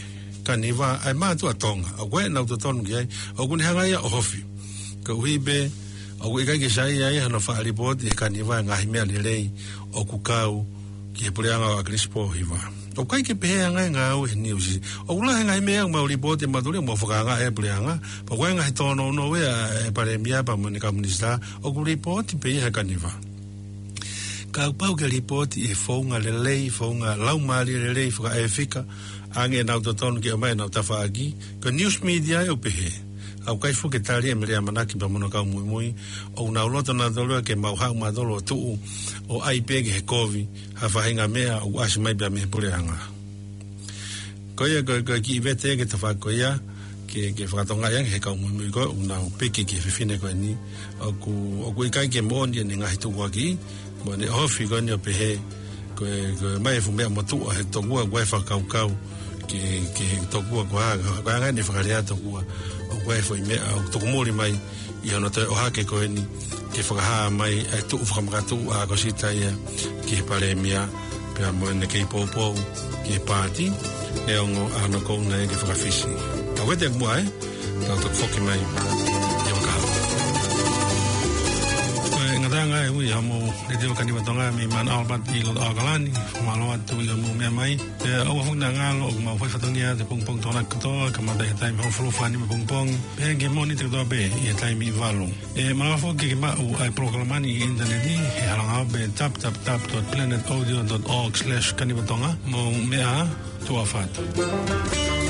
Kaniva ʻa e mātuʻa Tonga. ʻOku ʻi ai ʻenau totonu ki ai, ʻoku ne hanga ia ʻo ʻohofi. Koeʻuhi pē ʻoku ʻikai ke saiʻia ai hano faʻa lipooti ʻe he Kaniva e ngaahi meʻa lelei ʻoku kau ki he puleʻanga ʻo ʻAkilisi Pōhiva. ʻOku ʻikai ke pehē ʻa e ngaahi ngāue he niusi. ʻOku lahi e ngaahi meʻa ʻoku mau lipooti ʻe mautolu ia ʻoku mau fakaangaʻi e puleʻanga. Pea ko e ngaahi tōnounou ia ʻa e Palēmia pea mo ʻene kau minisitā, ʻoku lipooti pē ia he Kaniva. Ka ʻoku pau ke lipooti ʻi he founga lelei, founga laumālie lelei, fakaʻefika, ʻoange ʻenau totonu ke ʻomai ʻenau tafaʻaki. Ko e news media ia ʻoku pehē. ʻOku ʻikai fuʻu ke tali ʻe Mele ʻAmanaki pea mo hono kau muimui, ʻoku nau loto nautolu ia ke mau haʻu mautolu ʻo tuʻu ʻo ʻai pē ki he kovi ha faʻahinga meʻa ʻoku ʻasi mai pē ia mei he puleʻanga. Ko ia ko e, ko e kiʻi vete ki he tafaʻaki ko ia, ke, ke fakatokangaʻi ange ʻe he kau muimui ko ē ʻoku nau piki ki he fefine ko eni, ʻoku, ʻoku ʻikai ke moʻoni ʻene ngaahi tukuakiʻi, mo ʻene ʻohofi ko eni ʻo pehē, ko e, ko e ʻomai e fuʻu meʻa motuʻa he tokua, ko e fakakaukau ki he, ki he tokua ko ā, ko e anga ʻene fakalea tokua, ʻoku ʻi ai e foʻi meʻa ʻoku tuku muli mai ʻi hono toe ʻohake ko eni, ke fakahā mai ʻa e tuʻu fakamakatuʻu ʻa ʻAkosita ia ki he Palēmia, pea mo ʻene kei poupou ki he paati, neongo ʻa hono kouna ia ke fakafisi. Ka ʻoku ʻikai te mua ē, tau toki foki mai ʻi he vaka. Ko e ngataʻanga ē ʻa e ui ʻa hoʻomou Letiō Kaniva Tonga mei Mount Albert ʻi loto ʻAokalani, fakamālō atu ʻi hoʻomou meʻa mai. Pea ʻoua foki naʻa ngalo ʻoku mau fai fatongia atu he pongipongi Tokonaki kotoa, kamata he taimi hongofulu fā nima pongipongi, pea ki he Mōnite kotoa pē ʻi he taimi ʻe valu. ʻE malava foki ke maʻu ʻa e polokalama ni ʻi he ʻinitaneti, he hala ngāue pē, w w w dot planet audio dot org slash Kaniva Tonga. Mou meʻa ā, tuʻa ʻofa atu.